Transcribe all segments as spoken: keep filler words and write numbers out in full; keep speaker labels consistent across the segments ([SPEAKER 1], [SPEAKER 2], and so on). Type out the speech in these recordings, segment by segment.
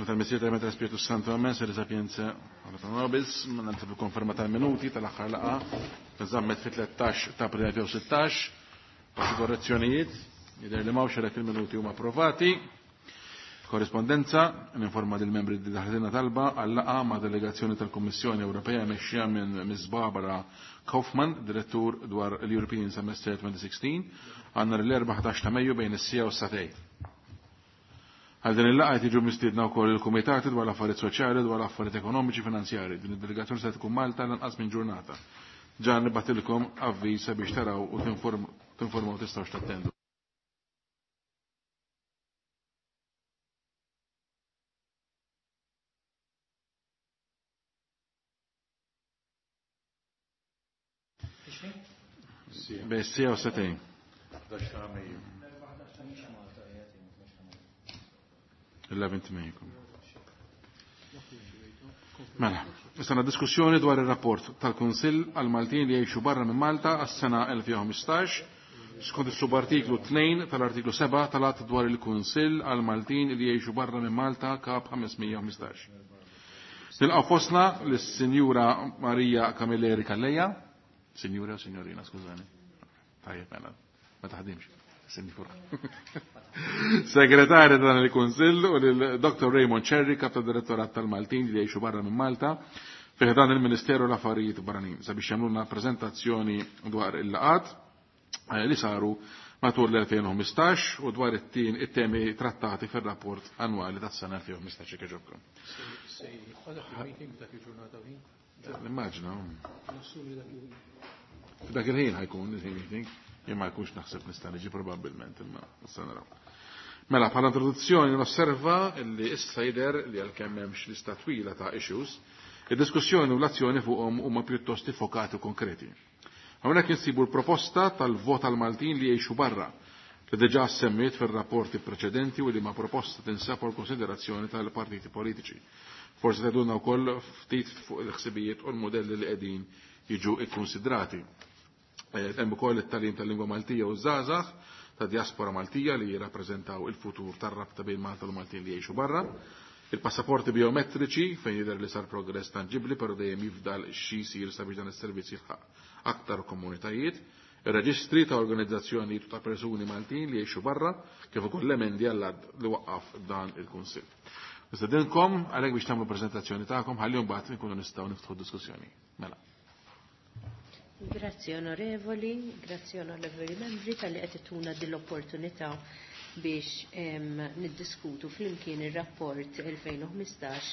[SPEAKER 1] Tal-Missier tal-Spiritu Santo, Amen. Sede Sapienza, ora nobis, nagħti konferma tal-minuti tal-aħħar laqgħa nżammet fit-tlettax ta' April elfejn u sittax, xi korrezzjonijiet, jidher li m'hawnx għalhekk il-minuti huma approvati. Korrispondenza, ninforma lill membri li daħletilna talba għal laqgħa ma' delegazzjoni tal-Kummissjoni Ewropea mexxija minn Miss Barbara Kaufmann, direttur dwar l-European Semester twenty sixteen, għandna l-erbgħa ħdax ta' Mejju bejn is-sija u s-satej. Għal din il-laqgħa qed jiġu mistiedna wkoll il-kumitati dwar l-affarijiet soċjali dwar l-affarijiet ekonomiċi finanzjari. Din id-delegazzjoni se tkun Malta lanqas minn ġurnata. Ġa nibatilkom avviż sabiex taraw u tinformaw tistgħux tattendu. Bejn sija u setejn. eleventh May. Mela, issa diskussjoni dwar ir-rapport tal-Kunsill għal Maltin li jgħixu barra minn Malta għas-sena elfejn u ħmistax skont is-subartiklu tnejn tal-artiklu seba' tal-Att dwar il-Kunsill għal Maltin li jgħixu barra minn Malta kap ħames mija u ħmistax. Nilqgħu fostna lis-Sinjura Marija Camilleri Calleja, Sinjura o Signorina, skużani. Tajjeb mela, ma taħdimx. Sinjura. Segretarja dan il-Kunsill u lil Doctor Raymond Cherry, kap ta' direttorat tal-Maltin li jgħixu barra minn Malta, fih dan il-Ministeru l-Affarijiet Barranin, sabiex jagħmlulna preżentazzjoni dwar il-laqat li saru matul l-elfejn u ħmistax u dwar it-temi trattati fir-rapport annwali tas-sena elfejn u ħmistax jekk jogħġobkom. Nimmaġina. F'dak il-ħin ħajkun il-ħin meeting. Jien ma jkunx naħseb nista' niġi probabbilment, imma issa naraw. Mela, bħala introduzzjoni nosserva li issa jidher li għalkemm hemmx lista twila ta' issues, id-diskussjoni u l-azzjoni fuqhom huma pjuttost iffokati u konkreti. Hawnhekk insibu l-proposta tal-vot għal Maltin li jgħixu barra, li diġà semmiet fir-rapporti preċedenti u li ma proposta tinsab għal konsiderazzjoni tal-partiti politiċi. Forsi tgħidulna wkoll ftit fuq il-ħsibijiet u l-modelli li qegħdin jiġu ikkonsidrati. Hemm ukoll it-tagħlim tal-lingwa Maltija u żgħażagħ ta' diaspora Maltija li jirrappreżentaw il-futur tar-rabta bejn Malta u Maltin li jgħixu barra. Il-passaporti biometriċi fejn jidher li sar progress tanġibbli però dejjem jifdal xi jsir sabiex dan is-servizz jilħaq aktar komunitajiet. Ir-reġistri ta' organizzazzjonijiet ta' persuni Maltin li jgħixu barra kif ukoll l-emendi għall-att li waqqaf dan il-Kunsill. Nistedinkom għalhekk biex tagħmlu preżentazzjoni tagħkom ħalli mbagħad nkunu nistgħu niftħu diskussjoni. Mela.
[SPEAKER 2] Grazzi onorevoli, grazzi onorevoli membri tal-li qed ituna din l-opportunità biex niddiskutu flimkien ir-rapport elfejn u ħmistax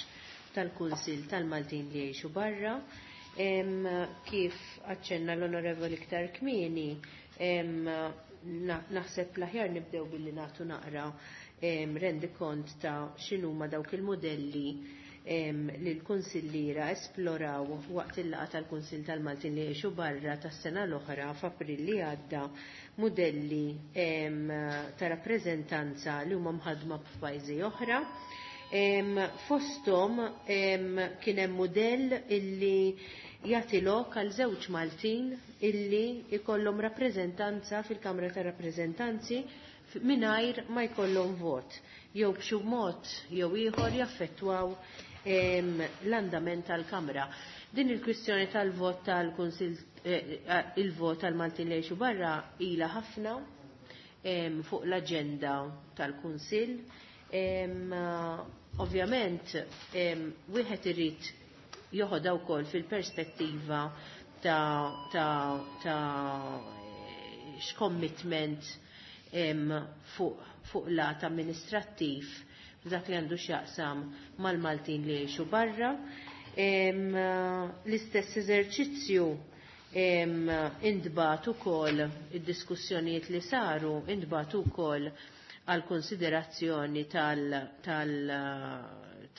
[SPEAKER 2] tal-Kunsill tal-Maltin li jgħixu barra. Kif aċċenna l-onorevoli iktar kmieni, naħseb l-aħjar nibdew billi nagħtu naqra rendikont ta' x'inhuma dawk il-modelli li l-Kunsilliera esploraw waqt il-laqgħa tal-Kunsill tal-Maltin li jgħixu barra tas-sena l-oħra f'April li għadda, modelli ta' rappreżentanza li huma mħaddma f'pajjiżi oħra. Fosthom kien hemm mudell illi jagħti lok għal żewġ Maltin illi jkollhom rappreżentanza fil-Kamra ta' Rappreżentanzi mingħajr ma jkollhom vot jew b'xi mod jew ieħor jaffettwaw l-andament tal-Kamra. Din il-kwistjoni tal-vot tal-Kunsill, il-vot tal-Maltin li jgħixu barra ilha ħafna fuq l-aġenda tal-Kunsill. Ovvjament, wieħed irid joħodha wkoll fil-perspettiva ta', ta, ta x'commitment fuq, fuq lat amministrattiv dak li għandu x'jaqsam mal-Maltin li jgħixu barra. L-istess eżerċizzju intbagħat ukoll id-diskussjonijiet li saru intbagħat ukoll għal konsiderazzjoni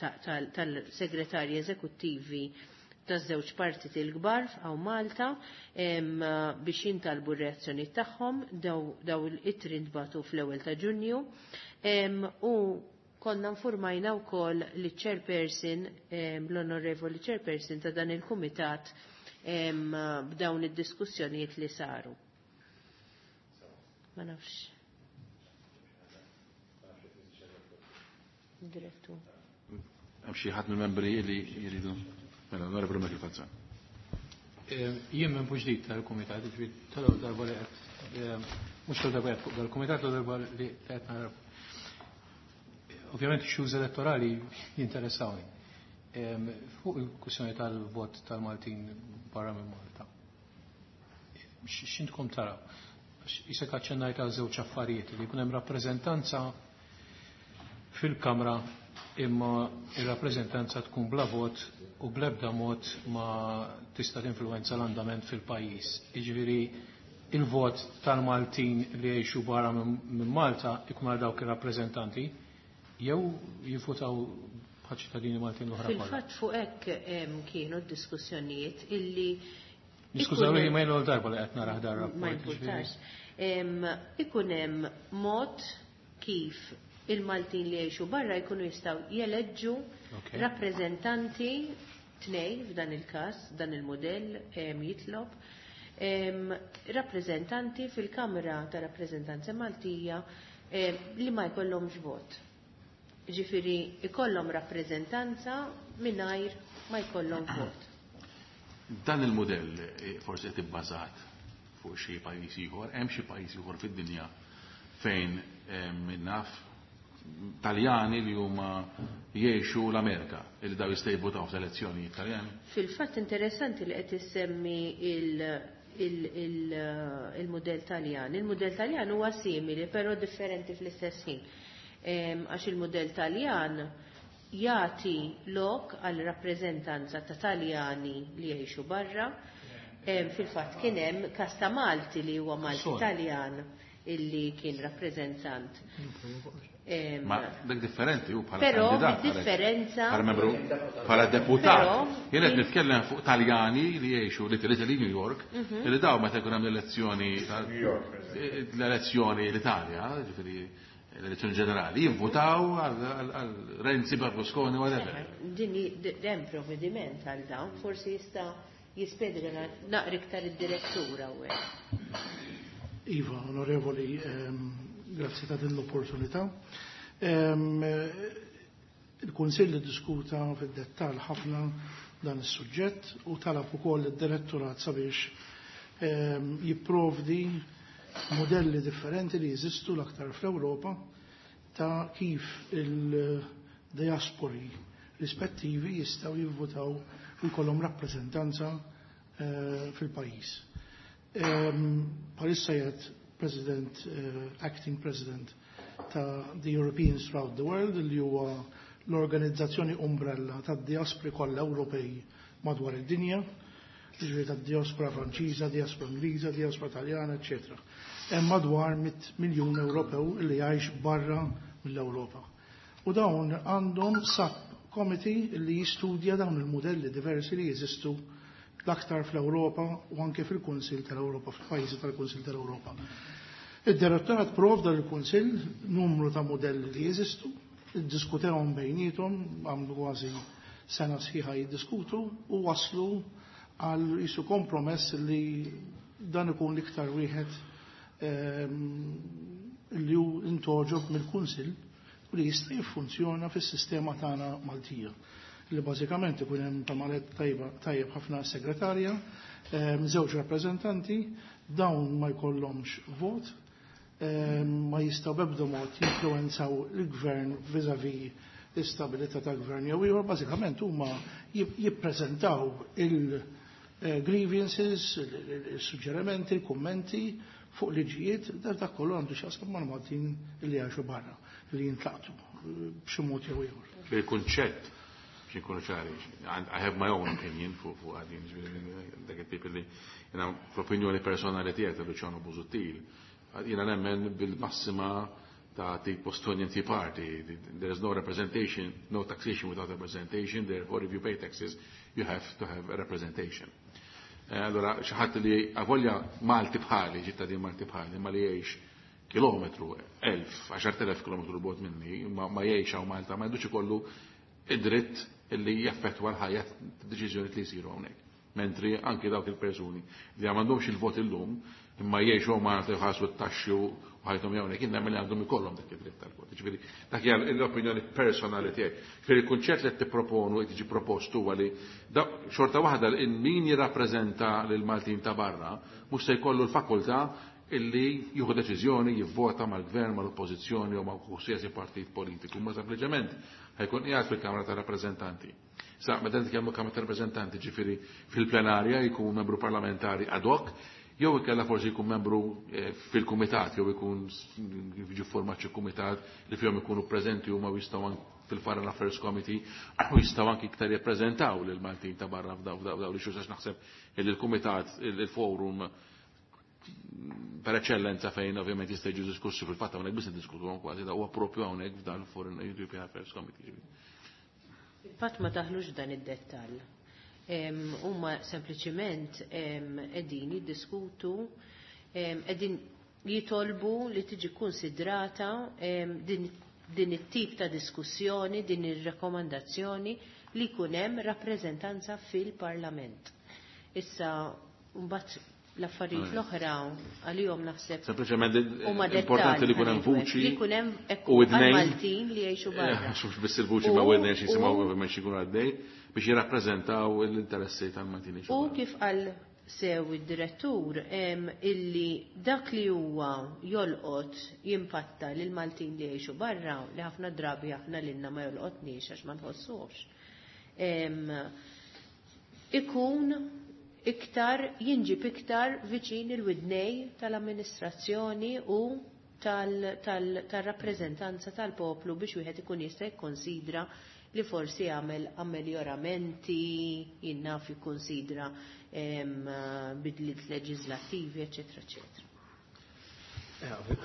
[SPEAKER 2] tal-segretarji eżekuttivi taż-żewġ partiti l-kbar f'hawn Malta biex jintalbu r-reazzjoni tagħhom. Daw l-ittri ntbagħtu fl-ewwel ta' Ġunju. U konna nfurmajna wkoll li chairperson, l-onorevoli chairperson ta' dan il-kumitat b'dawn id-diskussjonijiet li saru. Ma nafx. Direttur.
[SPEAKER 1] Hemm xi ħadd mill-membri li jridu. Mela, Onorevoli Michael Falzon.
[SPEAKER 3] Jien minn ġdid tal-kumitat, ġifieri tal-ewwel darba li qed mhux tal-darba qed fuq dal-kumitat, l-darba li qed nara. Ovvjament issues elettorali jinteressawni. Fuq il-kwistjoni tal-vot tal-Maltin barra minn Malta. X'intkom taraw? Isek aċċennajt għal żewġ affarijiet li jkun hemm rappreżentanza fil-Kamra imma ir-rappreżentanza tkun bla vot u bl-ebda mod ma tista' tinfluwenza l-andament fil-pajjiż. Jiġifieri il-vot tal-Maltin li jgħixu barra minn Malta ikun għal dawk ir-rappreżentanti jew jivvutaw bħal ċittadini Maltin l-oħra kollha.
[SPEAKER 2] Fil-fatt fuq hekk kienu d-diskussjonijiet illi
[SPEAKER 3] Niskużaw li ma jgħidu darba li qed nara dar rapport.
[SPEAKER 2] Ma jimpurtax. Ikun hemm mod kif il-Maltin li jgħixu barra jkunu jistgħu jeleġġu rappreżentanti tnej f'dan il-każ, dan il-modell jitlob rappreżentanti fil-Kamra ta' Rappreżentanza Maltija li ma jkollhomx vot. Ġifieri ikollhom rappreżentanza mingħajr ma jkollhom vot.
[SPEAKER 1] Dan il-modell forsi qed ibbażat fuq xi pajjiż ieħor, hemm xi pajjiż ieħor fid-dinja fejn naf Taljani li huma jgħixu l-Amerika, li daw jistgħu jivvutaw fl-elezzjoni Taljani.
[SPEAKER 2] Fil-fatt interessanti li qed issemmi il-mudell Taljan. Il-mudell Taljan huwa simili, però differenti fl-istess ħin. Għax il-mudell Taljan jagħti lok għal rappreżentanza ta' Taljani li jgħixu barra. Fil-fatt kien hemm każ ta' Malti li huwa Malti Taljan illi kien rappreżentant.
[SPEAKER 1] Ma dak differenti hu bħala
[SPEAKER 2] kandidat. Però differenza
[SPEAKER 1] bħala membru bħala deputat. Jien qed nitkellem fuq Taljani li jgħixu l-Italy New York, li daw meta jkun hemm l-elezzjoni l-elezzjoni l-Italja, ġifieri l-elezzjoni ġenerali, jivvutaw għal Renzi, Berlusconi, whatever.
[SPEAKER 2] Din hemm provvediment għal dawn, forsi jista' jispjega naqra iktar id-direttur hawnhekk.
[SPEAKER 4] Iva, onorevoli, grazzi ta' din l-opportunità. Il-Kunsill diskuta fid-dettall ħafna dan is-suġġett u talab ukoll id-direttorat sabiex jipprovdi modelli differenti li jeżistu l-aktar fl-Ewropa ta' kif il-diaspori rispettivi jistgħu jivvutaw u jkollhom rappreżentanza fil-pajjiż. Bħalissa jgħid President, uh, Acting President ta' the Europeans Throughout the World, li huwa l-organizzazzjoni umbrella ta' diaspori kollha Ewropej madwar id-dinja, ġifieri ta' diaspora Franċiża, diaspora Ingliża, diaspora Taljana, eċċetera. Hemm madwar mitt miljun Ewropew li jgħix barra mill-Ewropa. U dawn għandhom sub-committee li jistudja dawn il-modelli diversi li jeżistu l-aktar fl-Ewropa u anke fil-Kunsill tal-Ewropa, fil-pajjiżi tal-Kunsill tal-Ewropa. Id-direttorat provda lill-Kunsill numru ta' modelli li jeżistu, iddiskutewhom bejniethom, għamlu kważi sena sħiħa jiddiskutu u waslu għal jisu kompromess li dan ikun l-iktar wieħed li hu intoġob mill-Kunsill u li jista' jiffunzjona fis-sistema tagħna Maltija. Li bażikament ikun hemm tamalet tajjeb ħafna segretarja, żewġ rappreżentanti, dawn ma jkollhomx vot, ma jistgħu b'ebda mod jinfluwenzaw il-gvern vis-à-vis l-istabilità tal-gvern jew ieħor, bażikament huma jippreżentaw il-grievances, il-suġġerimenti, il-kummenti fuq liġijiet, dak kollu għandu x'jaqsam mal-Maltin li jgħixu barra, li jintlaqtu b'xi mod jew ieħor.
[SPEAKER 1] Il-kunċett biex nkunu ċari, I have my own opinion fuq fuq għadin, dak it-tip li jiena fl-opinjoni personali tiegħi ta' Luciano Busuttil, jiena nemmen bil-massima ta' the Bostonian Tea Party. There is no representation, no taxation without representation, therefore if you pay taxes, you have to have a representation. Allora, xi ħadd li avolja Malti bħali, ċittadin Malti bħali, ma li jgħix kilometru, elf, għaxart elef kilometru bogħod minni, ma jgħix hawn Malta, ma jgħidux ikollu id-dritt illi jaffettwa l-ħajja deċiżjoni li jsiru hawnhekk. Mentri anki dawk il-persuni li m'għandhomx il-vot illum, Imma jgħixu Malta jħallsu t-taxxi u ħajthom hawnhekk, jien nemmen li għandhom ikollhom dak id-dritt tal-vot. Ġifieri dak hija l-opinjoni personali tiegħi. Ġifieri il-kunċett li qed tipproponu qed jiġi propost huwa li xorta waħda min jirrappreżenta lil Maltin ta' barra mhux se jkollu l-fakultà illi jieħu deċiżjoni jivvota mal-gvern, mal-oppożizzjoni jew ma' qualsiasi partit politiku, ma sempliċement ħajkun qiegħed fil-Kamra ta' Rappreżentanti. Sa meta nitkellmu Kamra ta' Rappreżentanti, ġifieri fil-plenarja jkun membru parlamentari ad hoc, jew ikella forsi jkun membru fil-kumitat, jew ikun jiġi format xi kumitat li fihom ikunu preżenti huma jistgħu fil-Foreign Affairs Committee u jistgħu anki iktar jippreżentaw lil Maltin ta' barra f'daw f'daw li għax naħseb li l-kumitat il-forum per eccellenza fejn ovvjament jista' jiġu diskussi fil-fatt hawnhekk biss niddiskutuhom kważi da huwa proprju hawnhekk f'dan il-Foreign European Affairs Committee.
[SPEAKER 2] Fil-fatt ma taħlux dan id-dettall. Huma sempliċiment qegħdin jiddiskutu, qegħdin jitolbu li tiġi konsidrata din, din it-tip ta' diskussjoni, din ir-rakkomandazzjoni li jkun hemm rappreżentanza fil-Parlament. Issa mbagħad l-affarijiet l-oħra għalihom naħseb.
[SPEAKER 1] Sempliċement importanti li jkun hemm vuċi
[SPEAKER 2] li jkun hemm u Maltin li jgħixu barra.
[SPEAKER 1] Mhux biss il-vuċi ma' widnejn xi jisimgħu ovvjament xi jkunu għaddej biex jirrappreżentaw l-interessi tal-Maltin li
[SPEAKER 2] U kif qal sew id-direttur illi dak li huwa jolqot jimpatta lil Maltin li jgħixu barra li ħafna drabi aħna lilna ma jolqotniex għax ma nħossuhx. Ikun iktar jinġib iktar viċin il-widnej tal-amministrazzjoni u tal-rappreżentanza tal-poplu biex wieħed ikun jista' jikkonsidra li forsi jagħmel ammeljoramenti, jinnaf jikkonsidra bidliet leġislattivi, eċetera, eċetera.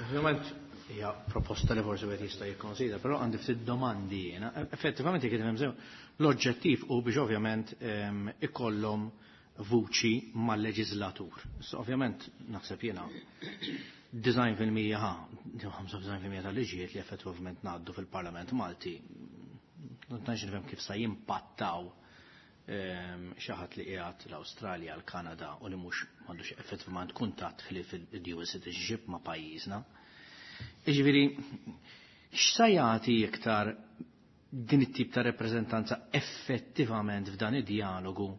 [SPEAKER 5] Ovvjament hija proposta li forsi wieħed jista' jikkonsidra, però għandi ftit domandi jiena. Effettivament jekk nifhem sew, l-oġġettiv hu biex ovvjament ikollhom vuċi mal-leġislatur. So, ovvjament, naħseb jiena design fil-mija ħa, ħamsa design fil-mija tal-liġijiet li effettivament ngħaddu fil-Parlament Malti, tantx nifhem kif sa jimpattaw xi ħadd li qiegħed l-Awstralja, l-Kanada u li mhux m'għandux effettivament kuntatt ħlief il-dual citizenship ma' pajjiżna. Jiġifieri, x'sa jagħti iktar din it-tip ta' rappreżentanza effettivament f'dan id-dialogu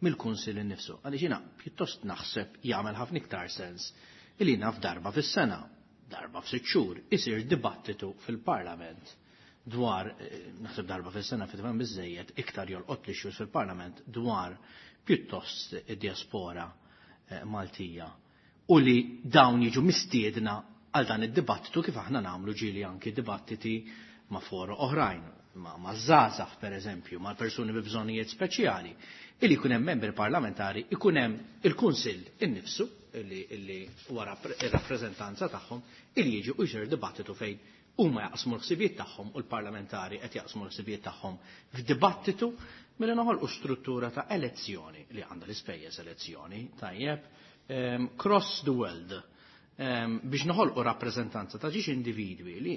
[SPEAKER 5] mill-Kunsill innifsu? Għaliex jiena pjuttost naħseb jagħmel ħafna iktar sens illi naf darba fis-sena, darba f'sitt xhur, isir dibattitu fil-Parlament dwar, naħseb darba fis-sena fit-tmiem biżejjed iktar jolqot li xhur fil-Parlament dwar pjuttost id-diaspora Maltija u li dawn jiġu mistiedna għal dan id-dibattitu kif aħna nagħmlu ġieli anki dibattiti ma' foro oħrajn, ma' ma' żgħażagħ pereżempju, ma' persuni bi bżonnijiet speċjali, illi jkun hemm membri parlamentari, ikun hemm il-Kunsill innifsu illi illi wara ir-rappreżentanza tagħhom illi jiġu u jsir dibattitu fejn huma jaqsmu l-ħsibijiet tagħhom u l-parlamentari qed jaqsmu l-ħsibijiet tagħhom f'dibattitu milli noħolqu struttura ta' elezzjoni li għandha l-ispejjeż elezzjoni tajjeb cross the world biex noħolqu rappreżentanza ta' ġiex individwi li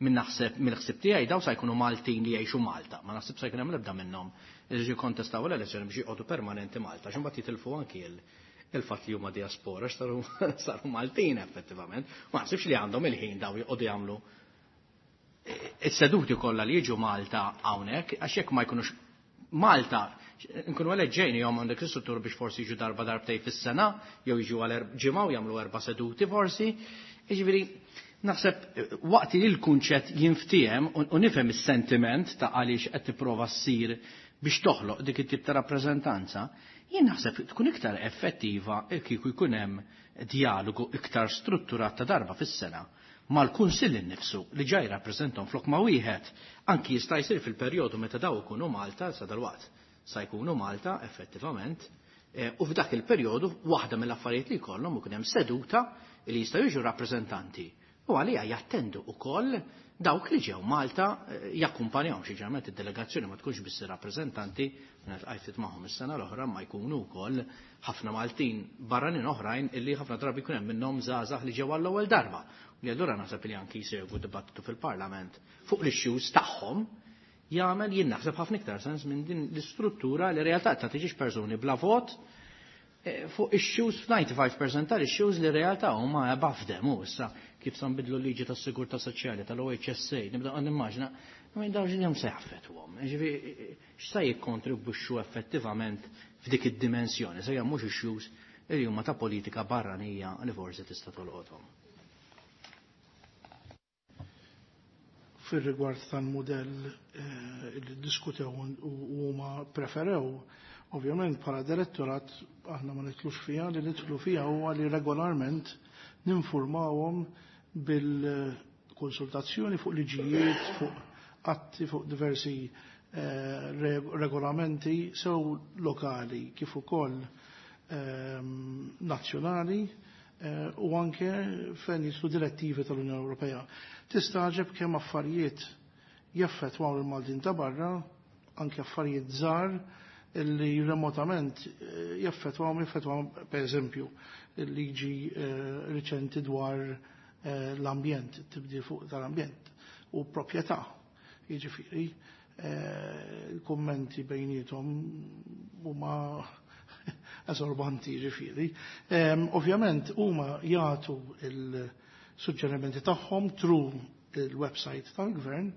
[SPEAKER 5] minn naħseb mill-ħsieb tiegħi daw sa jkunu Maltin li jgħixu Malta, ma naħseb sa jkun hemm l-ebda minnhom li jiġu jkontestaw l-elezzjoni biex joqogħdu permanenti Malta, għax imbagħad jitilfu anki il-fatt li huma diaspora saru saru Maltin effettivament. Ma naħsibx li għandhom il-ħin daw joqogħdu jagħmlu is-seduti kollha li jiġu Malta hawnhekk, għax jekk ma jkunux Malta nkunu eleġġejni jom għandek l-istruttur biex forsi jiġu darba darbtej fis-sena, jew jiġu għal ġimgħa u jagħmlu erba' seduti forsi. Jiġifieri naħseb waqt li l-kunċett jinftiehem u nifhem is-sentiment ta' għaliex qed tipprova ssir biex toħloq dik it-tip ta' rappreżentanza, jien naħseb tkun iktar effettiva kieku jkun hemm dialogu iktar strutturat ta' darba fis-sena mal-Kunsill innifsu li ġaj rappreżentom flok ma' wieħed anki jista' jsir fil-perjodu meta daw ikunu Malta sa dalwaqt sa jkunu Malta effettivament, u f'dak il-perjodu waħda mill-affarijiet li jkollhom ikun hemm seduta li jistgħu jiġu rappreżentanti u għalija jattendu ukoll dawk li ġew Malta jakkumpanjawhom xi ġeneralment id-delegazzjoni ma tkunx biss ir-rappreżentanti minn ftit magħhom is-sena l-oħra ma jkunu wkoll ħafna Maltin barranin oħrajn illi ħafna drabi jkun hemm minnhom żgħażagħ li ġew għall-ewwel darba. Li allura naħseb li anki jsegwu dibattitu fil-Parlament fuq l-issues tagħhom jagħmel jien naħseb ħafna iktar sens minn din l-istruttura li realtà ta' tiġix persuni bla vot Fuq issues, ninety-five percent tal-issues li realtà huma above them, u issa kif sa nbidlu l-liġi tas-sigurtà soċjali tal-O H S A, nibda nimmaġina, minn dawn ġinhom se jaffettwhom. Ġifieri x'sa jikkontribwixxu effettivament f'dik id-dimensjoni, se mhux issues li huma ta' politika barranija li forsi tista' tolqothom.
[SPEAKER 4] Fir-rigward tal-mudell li ddiskutew u huma preferew, ovvjament bħala direttorat aħna ma nitlux fiha, li nidħlu fiha huwa li regolarment ninformawhom bil-konsultazzjoni fuq liġijiet, fuq atti, fuq diversi eh, regolamenti sew lokali kif ukoll eh, nazzjonali eh, u anke fejn jidħlu direttivi tal-Unjoni Ewropea. Tistaġeb kemm affarijiet jaffettwaw il-Maltin ta' barra, anke affarijiet żgħar illi remotament jaffettwaw, jaffettwaw per eżempju il-liġi riċenti dwar l-ambjent, tibdil fuq tal-ambjent u proprjetà. Jiġifieri, il-kummenti bejniethom huma esorbanti, jiġifieri. Ovvjament huma jagħtu il-suġġerimenti tagħhom through il-website tal-gvern,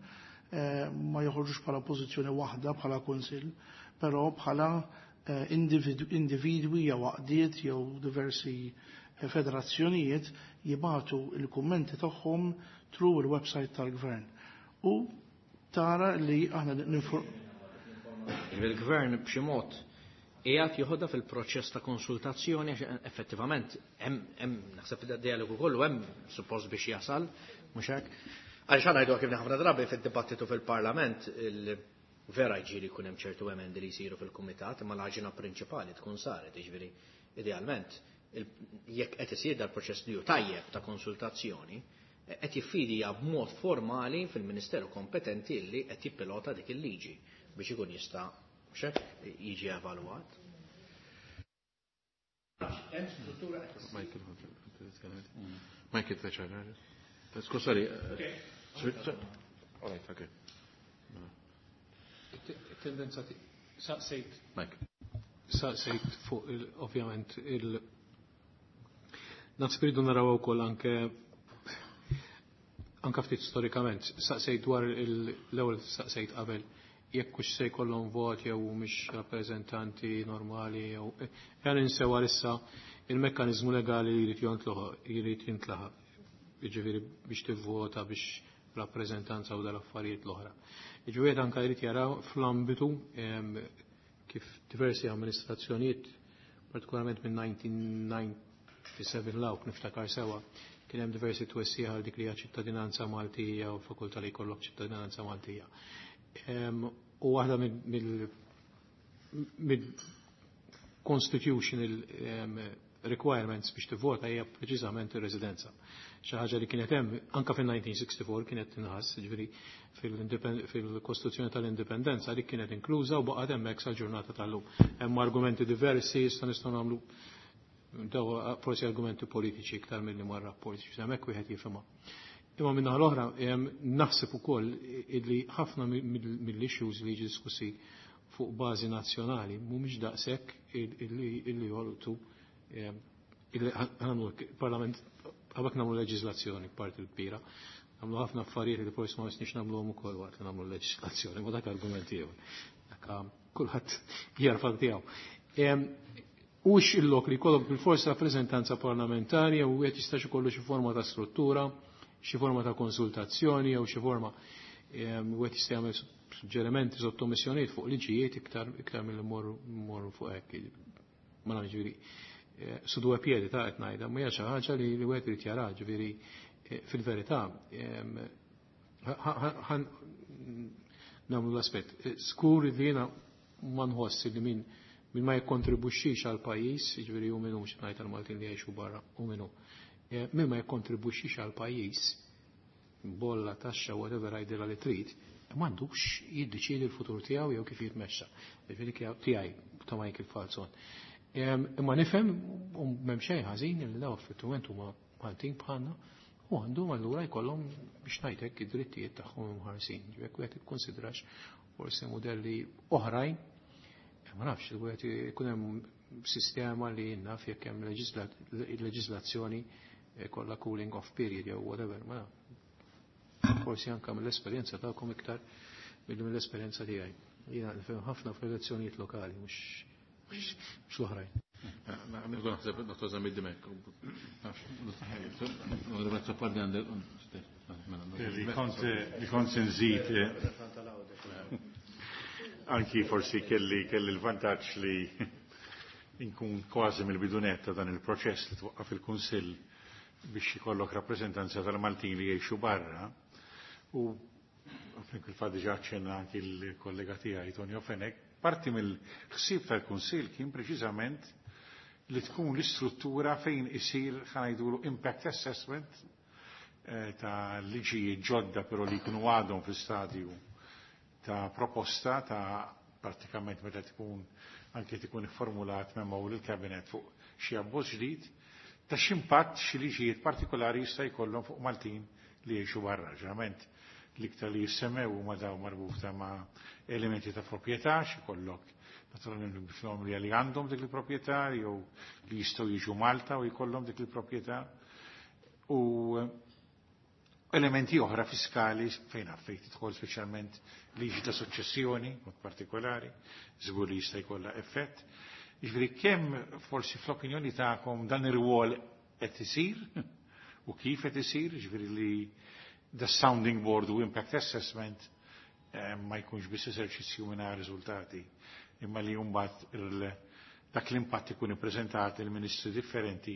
[SPEAKER 4] ma joħorġux bħala pożizzjoni waħda bħala kunsill, però bħala individwi jew għaqdiet jew diversi federazzjonijiet jibatu il-kummenti tagħhom through il-website tal-gvern. U tara li aħna ninfor-
[SPEAKER 5] Il-gvern b'xi mod qiegħed joħodha fil-proċess ta' konsultazzjoni għax effettivament hemm hemm naħseb id-dialogu kollu hemm suppost biex jasal, mhux hekk. Għaliex aħna ngħidu kif ħafna drabi fid-dibattitu fil-Parlament il vera jġieli jkun hemm ċertu emendi li jsiru fil-kumitat, imma l-għaġina prinċipali tkun saret, jiġifieri idealment jekk qed isir dal-proċess li hu tajjeb ta' konsultazzjoni, qed jiffidija b'mod formali fil-Ministeru kompetenti li qed jippilota dik il-liġi biex ikun jista' mhux hekk jiġi evalwat.
[SPEAKER 1] Michael, Skużani. All right, okay.
[SPEAKER 3] Tendenza saqsejt.
[SPEAKER 1] Mike.
[SPEAKER 3] Saqsejt fuq il, ovvjament il naħseb irridu naraw ukoll anke anke ftit storikament, saqsejt dwar l-ewwel saqsejt qabel jekk hux se jkollhom vot jew mhumiex rappreżentanti normali jew jan insew issa il-mekkaniżmu legali li jrid jontloħ jrid jintlaħaq, jiġifieri biex tivvota biex rappreżentanza u dal-affarijiet l-oħra. Jiġifieri anke jrid jaraw fl-ambitu kif diversi amministrazzjonijiet, partikolarment minn nineteen ninety-seven lawk niftakar sewa, kien hemm diversi twessiħ għal dik li hija ċittadinanza Maltija u fakultà li jkollok ċittadinanza Maltija. U waħda mill-constitutional requirements biex tivvota hija preċiżament ir-residenza. Xi ħaġa li kienet hemm anke fil-nineteen sixty-four kienet tinħass, jiġifieri fil-Kostituzzjoni tal-Indipendenza li kienet inkluża u baqgħet hemmhekk sal-ġurnata tal-lum. Hemm argumenti diversi, issa nistgħu nagħmlu daw forsi argumenti politiċi iktar milli mar rapporti, biex hemmhekk wieħed jifhimha. Imma minn naħa l-oħra naħseb ukoll illi ħafna mill-issues li jiġu diskussi fuq bażi nazzjonali mhumiex daqshekk illi jolqtu illi nagħmlu parlament qabel nagħmlu leġiżlazzjoni parti l-kbira. Nagħmlu ħafna affarijiet li forsi ma nistgħux nagħmluhom ukoll waqt li nagħmlu leġiżlazzjoni, ma dak argument ieħor. Dak kulħadd jarfa tiegħu. Hux il-lok li jkollok bil-forsi rappreżentanza parlamentari u wieħed jistax ikollu xi forma ta' struttura, xi forma ta' konsultazzjoni jew xi forma wieħed jista' jagħmel suġġerimenti sottomissjonijiet fuq liġijiet iktar iktar milli mmorru fuq hekk. Ma nafx ġifieri su due piedi ta' qed ngħidha, ma hija xi ħaġa li wieħed irid jara, ġifieri fil-verità nagħmlu l-aspett. Skur li jiena ma nħoss li min min ma jikkontribwixxix għal pajjiż, jiġifieri hu minnu mhux ngħid għall-Maltin li jgħixu barra u minnu. Min ma jikkontribwixxix għal pajjiż, bolla, taxxa, whatever għajdilha li trid, m'għandux jiddeċiedi l-futur tiegħu jew kif jitmexxa. Jiġifieri tiegħi ta' Michael Falzon. Imma nifhem u m'hemm xejn ħażin li daw effettivament huma Maltin bħalna u għandhom allura jkollhom biex ngħidlek id-drittijiet tagħhom imħarsin. Ġifieri wieħed ikkonsidrax forsi modelli oħrajn, ma nafx, wieħed ikun hemm sistema li naf jekk hemm leġislazzjoni kollha cooling off period jew whatever, ma forsi anke mill-esperjenza tagħkom iktar milli mill-esperjenza tiegħi. Jiena nifhem ħafna fl-elezzjonijiet lokali, mhux mhux l-oħrajn.
[SPEAKER 1] Nibdu naħseb Dottor Zammit Dimech.
[SPEAKER 6] Li kont li kont se nżid anki forsi kelli kelli l-vantaġġ li nkun kważi mill-bidu nett ta' dan il-proċess li twaqqaf il-Kunsill biex ikollok rappreżentanza tal-Maltin li jgħixu barra u fil-fatt diġà aċċenna anki l-kollega tiegħi Tonio Fenech, parti mill-ħsieb tal-Kunsill kien preċiżament li tkun l-istruttura fejn isir ħa ngħidulu impact assessment eh, ta' liġijiet ġodda però li jkunu għadhom fl-istadju ta' proposta ta' pratikament meta tkun anke tkun ifformulat memo lill-kabinet fuq xi abbozz ġdid ta' x'impatt xi liġijiet partikolari jista' jkollhom fuq Maltin li jgħixu barra. Ġeneralment l-iktar li jissemmew huma daw marbuta ma' elementi ta' proprjetà xi jkollok naturalment bifhom li li għandhom dik il-proprjetà jew li jistgħu jiġu Malta u jkollhom dik il-proprjetà u elementi oħra fiskali fejn fejn tidħol speċjalment liġi ta' suċċessjoni mod partikolari, żgur li jista' jkollha effett. Jiġifieri kemm forsi fl-opinjoni tagħkom dan ir-rwol qed isir u kif qed isir, jiġifieri li the sounding board u impact assessment eh, ma jkunx biss eżerċizzju mingħajr riżultati, imma li mbagħad dak l-impatt ikun ippreżentat il-ministri differenti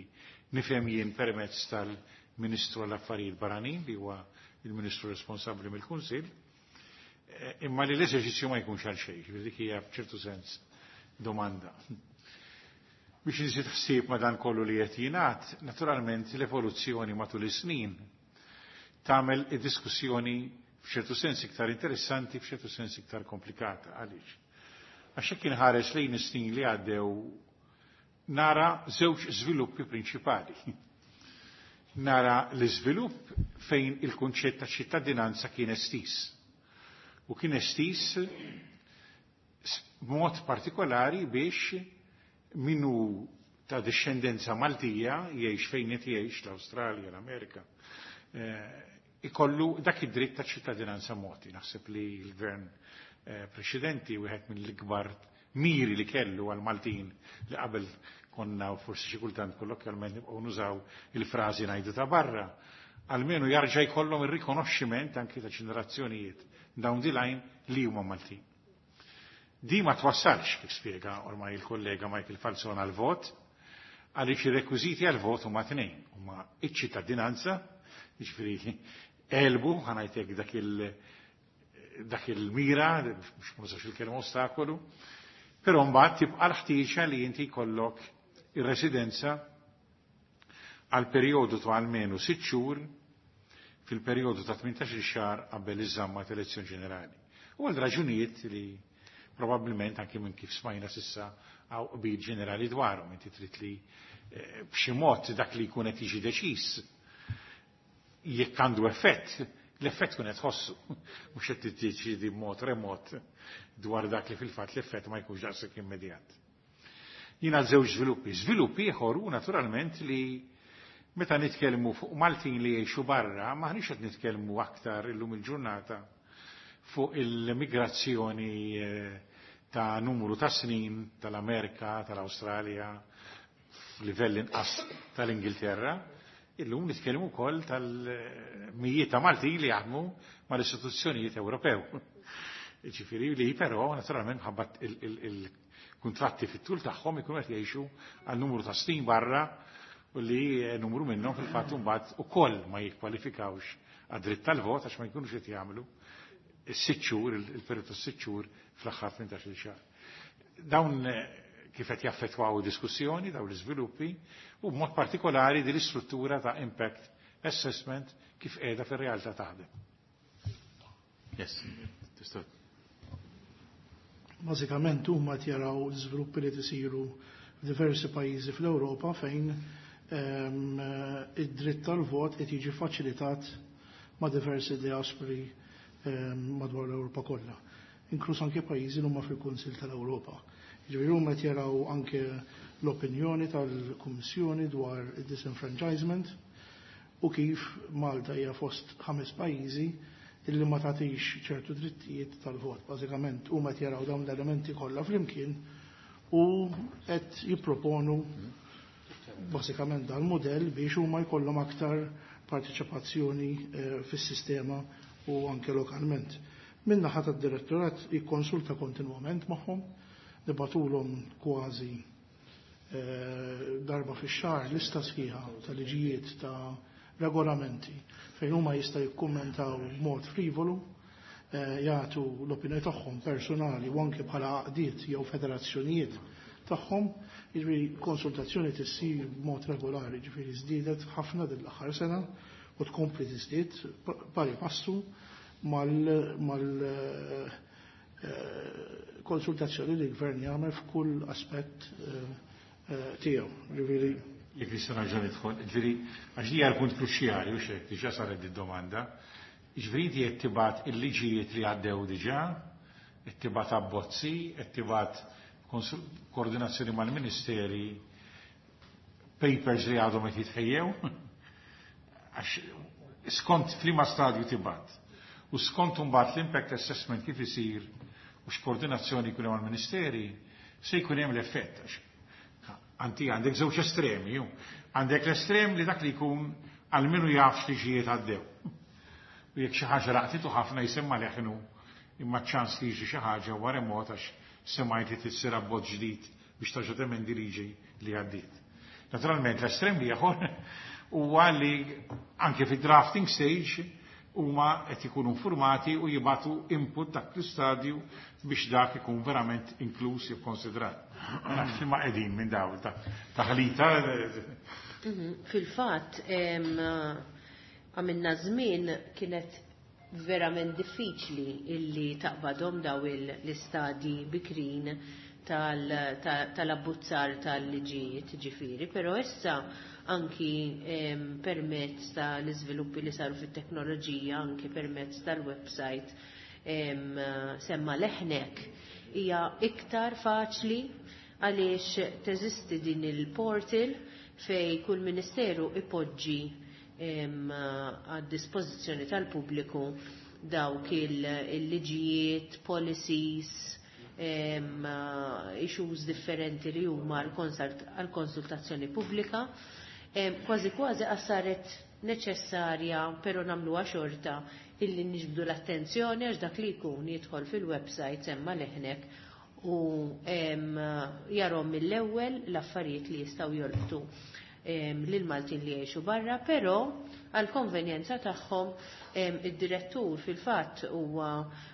[SPEAKER 6] nifhem jien permezz tal-Ministru għall-Affarijiet Barranin li huwa il-Ministru responsabbli mill-Kunsill, eh, imma li l-eżerċizzju ma jkunx għal xejn, ġifieri dik hija f'ċertu sens domanda. Biex nżid ħsieb ma dan kollu li qed jingħad, naturalment l-evoluzzjoni matul is-snin tagħmel id-diskussjoni f'ċertu sens iktar interessanti, f'ċertu sens iktar komplikata. Għaliex? Għax hekk inħares lejn is-snin li għaddew nara żewġ żviluppi prinċipali. Nara l-iżvilupp fejn il-kunċett ta' ċittadinanza kien estis. U kien estis b'mod partikolari biex minu ta' discendenza Maltija jgħix fejn qed jgħix l-Awstralja, l-Amerika, eh, ikollu dak id-dritt ta' ċittadinanza mogħti. Naħseb li l-gvern eh, preċedenti wieħed mill-ikbar miri li kellu għal-Maltin li qabel konna forsi xi kultant kollokjalment nibqgħu nużaw il-frażi ngħidu ta' barra, almenu jarġa' jkollhom ir-rikonoxximent anki ta' ġenerazzjonijiet down the line li huma Maltin. Di ma twassalx, kif spjega ormai il-kollega Michael Falzon għal-vot, għaliex ir-rekwiżiti għal-vot huma tnejn, huma iċ-ċittadinanza, jiġifieri elbu, ħa ngħidlek dak il- dak il-mira, biex ma nużax il-kelma ostakolu, però mbagħad tibqa' l-ħtieġa li inti jkollok ir-residenza għal perjodu ta' almenu sitt xhur fil-perjodu ta' tmintax-il xahar qabel iż-żamma ta' elezzjoni ġenerali. U għal raġunijiet li probabbilment anke minn kif smajna s'issa hawn qbil ġenerali dwarhom, inti trid li eh, b'xi mod dak li jkun qed jiġi deċiż jekk għandu effett, l-effett kun qed tħossu, mhux qed tiddeċiedi b'mod remot dwar dak li fil-fatt l-effett ma jkunx daqshekk immedjat. Jiena żewġ żviluppi. Żviluppi ieħor hu naturalment li meta nitkellmu fuq Maltin li jgħixu barra, maħniex qed nitkellmu aktar illum il-ġurnata fuq il-migrazzjoni eh, ta' numru ta' snin tal-Amerika, tal-Awstralja, f'livell inqas tal-Ingilterra, illum nitkellmu wkoll tal-mijiet ta' Maltin li jaħdmu mal-istituzzjonijiet Ewropew. Ġifieri li però naturalment ħabba il-kuntratti fit-tul tagħhom ikunu qed jgħixu għal numru ta' snin barra u li numru minnhom fil-fatt imbagħad ukoll ma jikkwalifikawx għad-dritt tal-vot għax ma jkunux qed jagħmlu is-sitt xhur, il-perjodu tas-sitt xhur fl-aħħar tmintax-il xahar. Dawn kif qed jaffettwaw diskussjoni, dawn l-iżviluppi, u b'mod partikolari din l-istruttura ta' impact assessment kif qiegħda fir-realtà taħdem.
[SPEAKER 1] Yes, tista'
[SPEAKER 4] Bażikament huma qed jaraw l-iżviluppi li tisiru f'diversi pajjiżi fl-Ewropa fejn ehm, id-dritt tal-vot qed jiġi faċilitat ma' diversi diaspori ehm, madwar l-Ewropa kollha, inkluż anke pajjiżi li huma fil-Kunsill tal-Ewropa. Jiġifieri huma qed jaraw anke l-opinjoni tal-Kummissjoni dwar id-disenfranchisement u kif Malta hija fost ħames pajjiżi illi ma tagħtix ċertu drittijiet tal-vot. Bażikament huma qed jaraw dawn l-elementi kollha flimkien u qed jipproponu bażikament dal-modell biex huma jkollhom aktar parteċipazzjoni eh, fis-sistema u anke lokalment. Min-naħa tad-direttorat jikkonsulta kontinwament magħhom, nibagħtulhom kważi eh, darba fix-xahar lista sħiħa ta' liġijiet ta' regolamenti fejn huma jista' jikkummentaw b'mod frivolu, eh, jagħtu l-opinjoni tagħhom personali u anke bħala għaqdiet jew federazzjonijiet tagħhom, jiġifieri konsultazzjoni tissir b'mod regolari, jiġifieri żdiedet ħafna din l-aħħar sena u tkompli tiżdied pari passu mal mal eh, konsultazzjoni li l-gvern jagħmel f'kull aspett eh, tiegħu. Jiġifieri
[SPEAKER 6] Jekk nista' nerġa' nidħol, ġifieri għax hija l-punt kruċjali u xek, diġà saret id-domanda. Ġifieri inti qed tibgħat il-liġijiet li għaddew diġà, qed tibgħat abbozzi, qed tibgħat koordinazzjoni mal-ministeri, papers li għadhom qed jitħejjew. Għax skont f'liema stadju tibgħat. U skont imbagħad l-impact assessment kif isir u x'koordinazzjoni jkun hemm mal-ministeri, se jkun hemm l-effett. Anti għandek żewġ estremi, ju. Għandek l-estrem li dak li jkun għalmenu jaf x'liġijiet għaddew. U jekk xi ħaġa laqtitu ħafna jisemma leħnu imma ċans li jiġi xi ħaġa huwa remot għax semajt li tissir abbozz ġdid biex terġa' temendi liġi li għaddiet. Naturalment l-estrem li ieħor huwa li anke fi drafting stage huma qed ikunu informati u jibatu input dak l-istadju biex dak ikun verament inkluż jew konsidrat. Ma nafx li ma qegħdin minn daw ta' taħlita.
[SPEAKER 2] Mhm. Fil-fatt, għamilna żmien kienet verament diffiċli illi taqbadhom daw l-istadji bikrin tal-abbuzzar tal-liġijiet ġifieri, però issa anki permezz tal-iżviluppi li saru fit-teknoloġija, anki permezz tal-website Semma Leħnek, hija iktar faċli għaliex teżisti din il-portal fej kull ministeru ipoġġi għad dispożizzjoni tal-pubbliku dawk il-liġijiet, policies, issues differenti li huma għal-konsultazzjoni pubblika. Kważi kważi saret neċessarja, pero nagħmluha xorta illi niġbdu l-attenzjoni għax dak li jkun jidħol fil-website Semma Leħnek u jarahom mill-ewwel l-affarijiet li jistgħu jolqtu lil Maltin li jgħixu barra, però għal konvenjenza tagħhom id-direttur fil-fatt huwa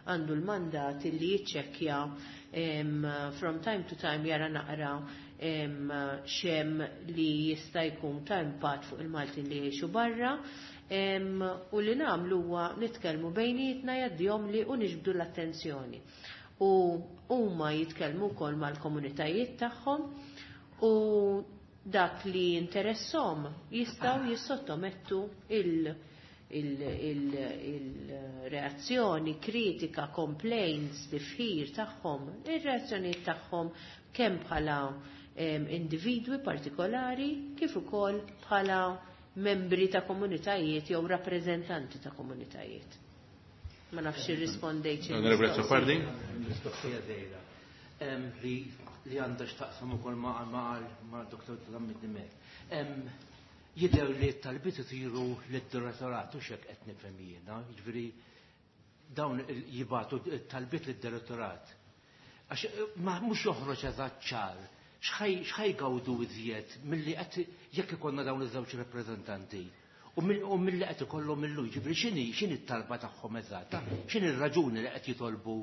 [SPEAKER 2] għandu l-mandat li jiċċekkja from time to time, jara naqra x'hemm li jista' jkun ta' impatt fuq il-Maltin li jgħixu barra, u li nagħmlu huwa nitkellmu bejnietna, jgħaddihom li u niġbdu l-attenzjoni. U huma jitkellmu wkoll mal-komunitajiet tagħhom u dak li interessahom jistgħu jissottomettu il-reazzjoni, kritika, complaints, tifħir tagħhom, ir-reazzjonijiet tagħhom kemm bħala individwi partikolari kif ukoll bħala membri ta' komunitajiet jew rappreżentanti ta' komunitajiet. Ma nafx irrispondejt.
[SPEAKER 1] Onorevole Azzopardi?
[SPEAKER 5] Mistoqsija żgħira li li għandha x'taqsam ukoll ma' ma' ma' Doktor Zammit Dimech. Jidher li t-talbiet isiru lid-direttorat u xek qed nifhem jiena, jiġifieri dawn jibagħtu talbiet lid-direttorat. Għax ma mhux joħroġ eżatt ċar x'ħa jgawdu iżjed milli qed jekk ikollna dawn iż-żewġ rappreżentanti. U milli qed ikollhom illum, ġifieri x'inhi x'inhi t-talba tagħhom eżatta, x'inhi r-raġuni li qed jitolbu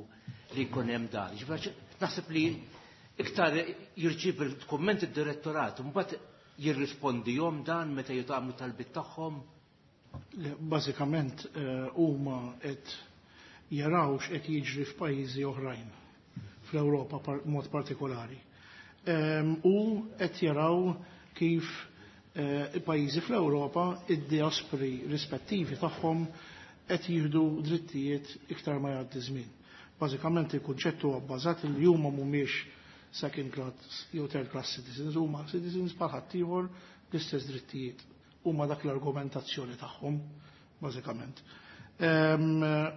[SPEAKER 5] li jkun hemm dan. Ġifieri naħseb li iktar jirċievi il-kumment id-direttorat, mbagħad jirrispondihom dan meta jitgħamlu talbit tagħhom.
[SPEAKER 4] Bażikament eh, huma qed jaraw x'qed jiġri f'pajjiżi oħrajn fl-Ewropa mod partikolari. U qed jaraw kif eh, pajjiżi fl-Ewropa id-diaspori rispettivi tagħhom qed jieħdu drittijiet iktar ma jgħaddi żmien. Bażikament il-kunċett huwa bbażat li huma mhumiex second class jew third class citizens, huma citizens bħal ħaddieħor l-istess drittijiet. Huma dak l-argumentazzjoni tagħhom, bażikament.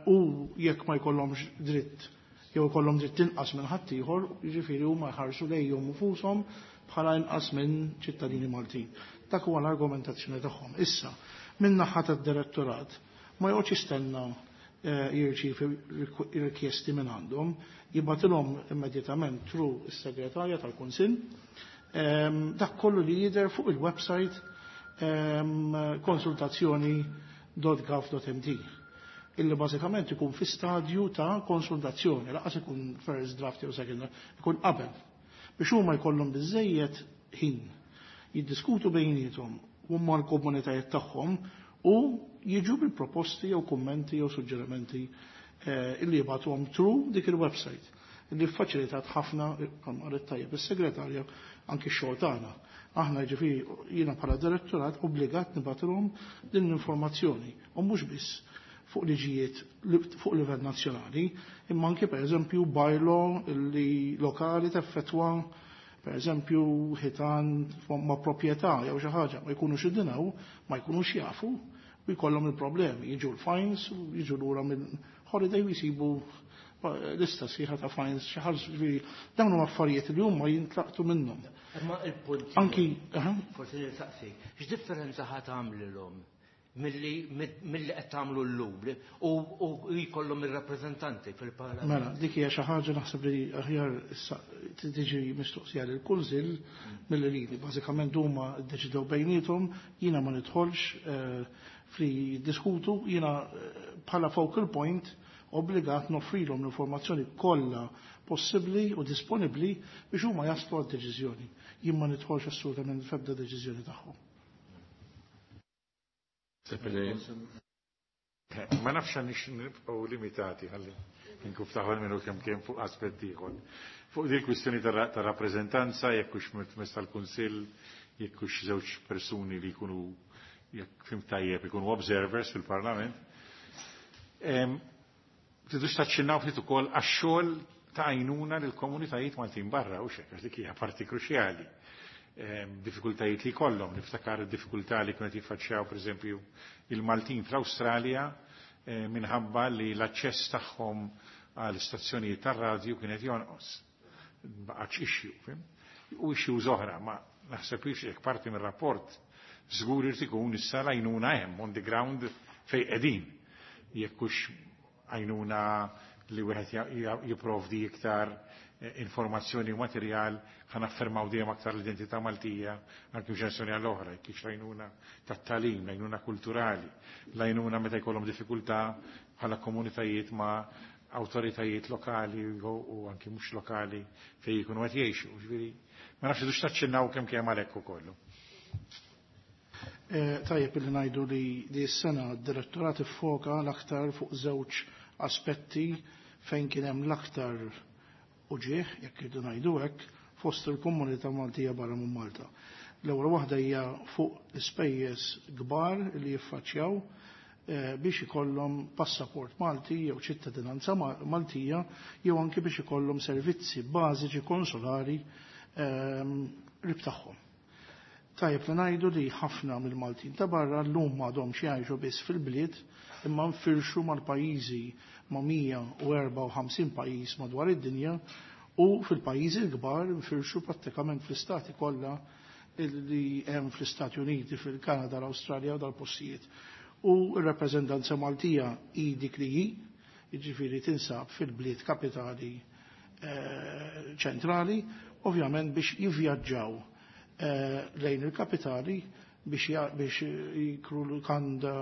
[SPEAKER 4] U jekk ma jkollhomx dritt jew ikollhom dritt inqas minn ħaddieħor, jiġifieri huma jħarsu lejhom infushom bħala inqas minn ċittadini Maltin. Dak huwa l-argumentazzjoni tagħhom. Issa, minn naħa tad-direttorat ma joqgħodx jistenna jirċievi rikjesti minn għandhom, jibgħatilhom immedjatament through is-segretarja tal-Kunsill dak kollu li jidher fuq il-website konsultazzjoni dot gov dot m t illi bażikament ikun fi stadju ta' konsultazzjoni, lanqas ikun first draft jew second draft, ikun qabel. Biex huma jkollhom biżejjed ħin jiddiskutu bejniethom u mal-komunitajiet tagħhom u jiġu bil-proposti jew kummenti jew suġġerimenti illi jibgħatuhom through dik il-website illi faċilitat ħafna, qalet tajjeb is-segretarja, anki x-xogħol tagħna. Aħna, ġifieri jiena bħala direttorat obbligat nibgħatilhom din l-informazzjoni u mhux biss fuq liġijiet fuq livell nazzjonali, imma anki pereżempju bylaw li lokali teffettwa pereżempju ħitan ma' proprjetà jew xi ħaġa, ma jkunux iddinaw, ma jkunux jafu u jkollhom il-problemi, jiġu l-fines, jiġu lura minn holiday u jsibu lista sħiħa ta' fines, xi ħaġa, ġifieri dawn huma affarijiet li huma jintlaqtu minnhom.
[SPEAKER 7] Imma il-punt
[SPEAKER 4] Anki,
[SPEAKER 7] forsi nistaqsik, x'differenza ħa tagħmlilhom milli milli qed tagħmlu llum u u jkollhom ir-rappreżentanti fil-Parlament?
[SPEAKER 4] Mela, dik hija xi ħaġa naħseb li aħjar issa tiġi mistoqsija lil kunsill milli lili. Bażikament huma ddeċidew bejniethom, jiena ma nidħolx fli jiddiskutu, jiena bħala focal point obbligat noffrilhom l-informazzjoni kollha possibbli u disponibbli biex huma jaslu għal deċiżjoni. Jien ma nidħolx assolutament f'ebda deċiżjoni tagħhom.
[SPEAKER 6] Ma nafx għandix nibqgħu limitati ħalli nkun ftaħol minnu kemm kemm fuq aspett ieħor. Fuq din kwistjoni ta' rappreżentanza, jekk hux mezz tal-Kunsill, jekk hux żewġ persuni li jkunu, jekk fhimt tajjeb, ikunu observers fil-Parlament. Tridux taċċinnaw ftit ukoll għax-xogħol ta' għajnuna lill komunitajiet Maltin barra u xek, għax dik hija parti kruċjali. Diffikultajiet li kollhom, niftakar id-diffikultà li kienet jiffaċċjaw pereżempju il-Maltin fl-Awstralja minħabba li l-aċċess tagħhom għal stazzjonijiet tar-radju kienet jonqos. Baqgħetx issue, fhimt? U issues oħra, ma naħseb jekk parti mir-rapport żgur irid ikun issa l-għajnuna hemm on the ground fejn qegħdin. Jekk hux għajnuna li wieħed jipprovdi iktar informazzjoni u materjal ħa naffermaw dejjem aktar l-identità Maltija anke ġenerazzjoni għall-oħra, kif l-għajnuna tat-tagħlim, l-għajnuna kulturali, l-għajnuna meta jkollhom diffikultà bħala komunitajiet ma' awtoritajiet lokali u anki mhux lokali fejn jkunu qed jgħixu. Ġifieri, ma nafx idux taċċinnaw kemm kemm għalhekk ukoll.
[SPEAKER 4] Tajjeb li ngħidu li di s-sena d-direttorat iffoka l-aktar fuq żewġ aspetti fejn kien hemm l-aktar uġieħ, jekk irridu ngħidu hekk, fost il-komunità Maltija barra minn Malta. L-ewwel waħda hija fuq l-ispejjeż kbar li jiffaċċjaw biex ikollhom passaport Malti jew ċittadinanza Maltija jew anke biex ikollhom servizzi bażiċi konsolari qrib tagħhom. Tajjeb li ngħidu li ħafna mill-Maltin ta' barra llum m'għadhomx jgħixu biss fil-bliet imma nfirxu mal-pajjiżi, ma' mija u erbgħa u ħamsin pajjiż madwar id-dinja, u fil-pajjiżi l-kbar nfirxu prattikament fl-istati kollha li hemm fl-Istati Uniti, fil-Kanada, l-Awstralja u dal-postijiet. U r-rappreżentanza Maltija hi dik li hi, jiġifieri tinsab fil-bliet kapitali ċentrali, ovvjament biex jivvjaġġaw lejn il-kapitali biex biex jikru l-kanda,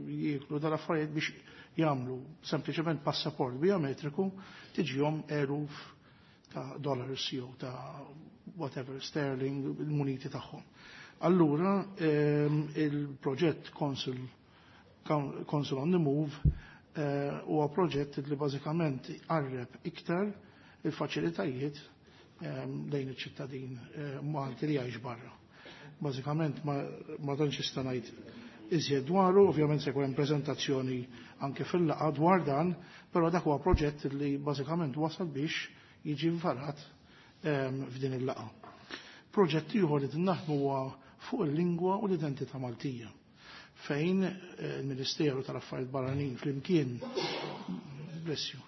[SPEAKER 4] jikru dal-affarijiet, biex jagħmlu sempliċement passaport biometriku, tiġihom eluf ta' dollars jew ta' whatever sterling, il-muniti tagħhom. Allura il-proġett Consul Consul on the Move huwa proġett li bażikament qarreb iktar il-faċilitajiet lejn iċ-ċittadin Malti li jgħix barra. Bażikament ma, ma tantx nista' ngħid iżjed dwaru, ovvjament se jkun hemm preżentazzjoni anke fil-laqgħa dwar dan, però dak huwa proġett li bażikament wasal biex jiġi varat f'din il-laqgħa. Proġett ieħor li naħdmu huwa fuq il-lingwa u l-identità Maltija, fejn il-Ministeru tal-Affarijiet Barranin flimkien, bless you,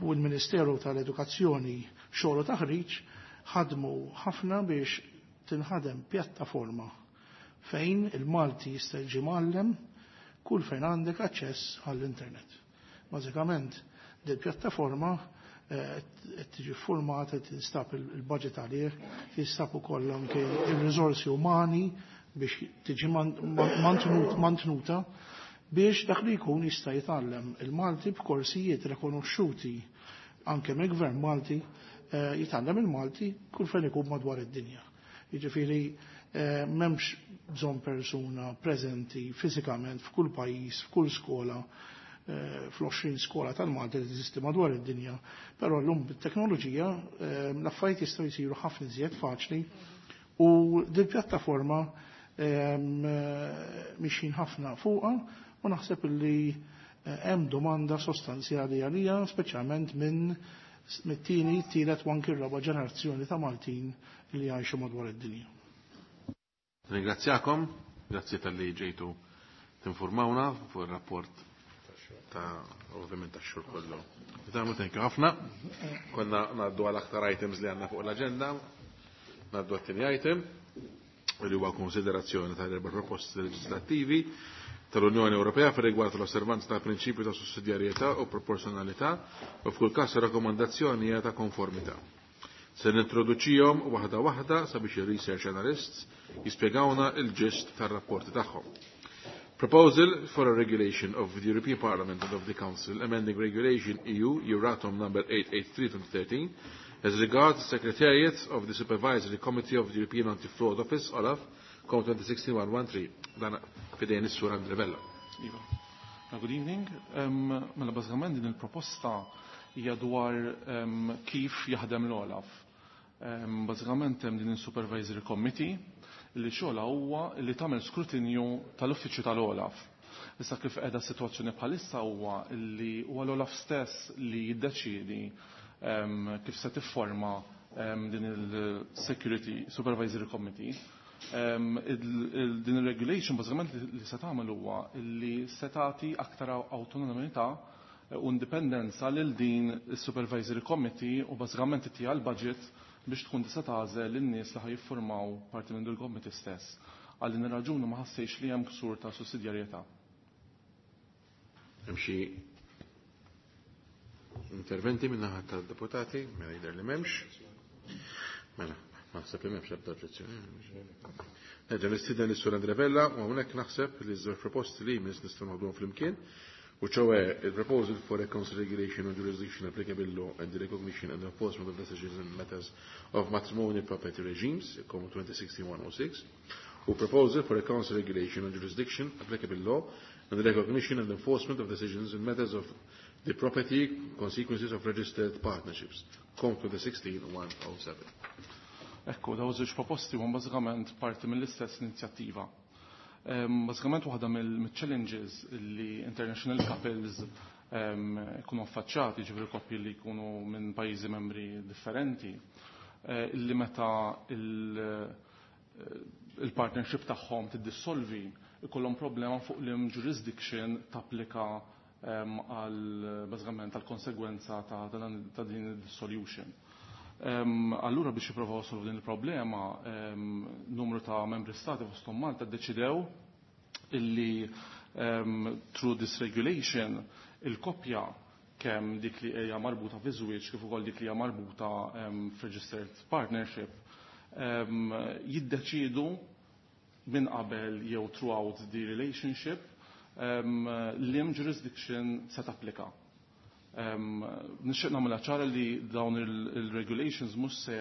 [SPEAKER 4] u l-Ministeru tal-Edukazzjoni, Xogħol u Taħriġ ħadmu ħafna biex tinħadem pjattaforma fejn il-Malti jista' jiġi mgħallem kull fejn għandek aċċess għall-internet. Bażikament, dil pjattaforma qed tiġi formata, tinstab il-budget għalih, tinstab ukoll anke il-riżorsi umani biex tiġi mantnuta biex dak li jkun jista' jitgħallem il-Malti b'korsijiet rekonoxxuti anke mill-Gvern Malti, jitgħallem il-Malti kull fejn ikun madwar id-dinja. Jiġifieri m'hemmx bżonn persuna preżenti fiżikament f'kull pajjiż, f'kull skola, fl-għoxrin skola tal-Malti li teżisti madwar id-dinja, però llum bit-teknoloġija l-affarijiet jistgħu jsiru ħafna iżjed faċli u din pjattaforma mixjin ħafna fuqha u naħseb li hemm domanda sostanzjali għalija, speċjalment minn mit-tieni, tielet u anki r-raba' ġenerazzjoni ta' Maltin li jgħixu madwar id-dinja.
[SPEAKER 1] Ringrazzjakom, grazzi tal-li ġejtu tinformawna fuq ir-rapport ta' ovvjament tax-xogħol kollu. Tagħmlu thank you ħafna. Konna ngħaddu għal aktar items li għandna fuq l-aġenda. Ngħaddu għat-tieni item li huwa konsiderazzjoni tal-erba' proposti leġislattivi tal-Unjoni Ewropea fir rigward l-osservanza tal-prinċipju ta' sussidjarjetà u proporzjonalità u f'kull każ rakkomandazzjoni hija ta' konformità. Se nintroduċihom waħda waħda sabiex ir-research analysts jispjegawna il-ġist tar-rapporti tagħhom. Proposal for a regulation of the European Parliament and of the Council amending Regulation E U Euratom number eight eight three twenty thirteen as regards the Secretariat of the Supervisory Committee of the European Anti-Fraud Office, OLAF, COM twenty sixteen one thirteen. Dan fidejn is-Sur Andre Vella.
[SPEAKER 8] Iva. Good evening. Um, mela bażikament din il-proposta hija dwar um, kif jaħdem l-OLAF. Um, bażikament hemm din il-Supervisory Committee li xogħla huwa li tagħmel skrutinju tal-uffiċċju tal-OLAF. Issa, kif qiegħda s-sitwazzjoni bħalissa huwa li huwa l-OLAF stess li jiddeċiedi um, kif se tifforma um, din il-Security Supervisory Committee. Um, il, il, din il-regulation bażikament li, li se tagħmel huwa li se tagħti aktar awtonomija u indipendenza lil din is-Supervisory Committee u bażikament ttiha l-budget biex tkun tista' tagħżel lin-nies li ħa jiffurmaw parti minn il committee stess. Għal din ir-raġuni ma ħassejx li hemm ksur ta' sussidjarjetà.
[SPEAKER 1] Hemm xi interventi minn naħa tad-deputati? Mela jidher li m'hemmx. Mela, naħseb li m'hemmx ebda oġġezzjoni. Nerġa' nistieden lis-Sur Andre Vella u hawnhekk naħseb li ż-żewġ proposti li jmiss nistgħu noħduhom flimkien, u ċoè il-proposal for a council regulation on jurisdiction, applicable law and the recognition and enforcement of decisions in matters of matrimonial property regimes, COM twenty sixteen one oh six, u proposal for a council regulation on jurisdiction, applicable law and the recognition and enforcement of decisions in matters of the property consequences of registered partnerships, COM twenty sixteen one oh seven.
[SPEAKER 8] Ekku, daw żewġ proposti huma bażikament parti mill-istess inizjattiva. Bażikament waħda mill-challenges li international couples jkunu affaċċati, ġifieri koppji li jkunu minn pajjiżi membri differenti, eh, illi meta il-partnership tagħhom tiddissolvi, ikollhom problema fuq li jurisdiction tapplika għal bażikament għal konsegwenza ta' din dissolution. Allura biex jippruvaw solvu din il-problema, numru ta' membri stati, fosthom Malta, ddeċidew illi through this regulation il-koppja, kemm dik li hija marbuta fi żwieġ kif ukoll dik li hija marbuta f'registered partnership, jiddeċidu minn qabel jew throughout the relationship liem jurisdiction se tapplika. Nixtieq nagħmilha ċara li dawn il-regulations mhux se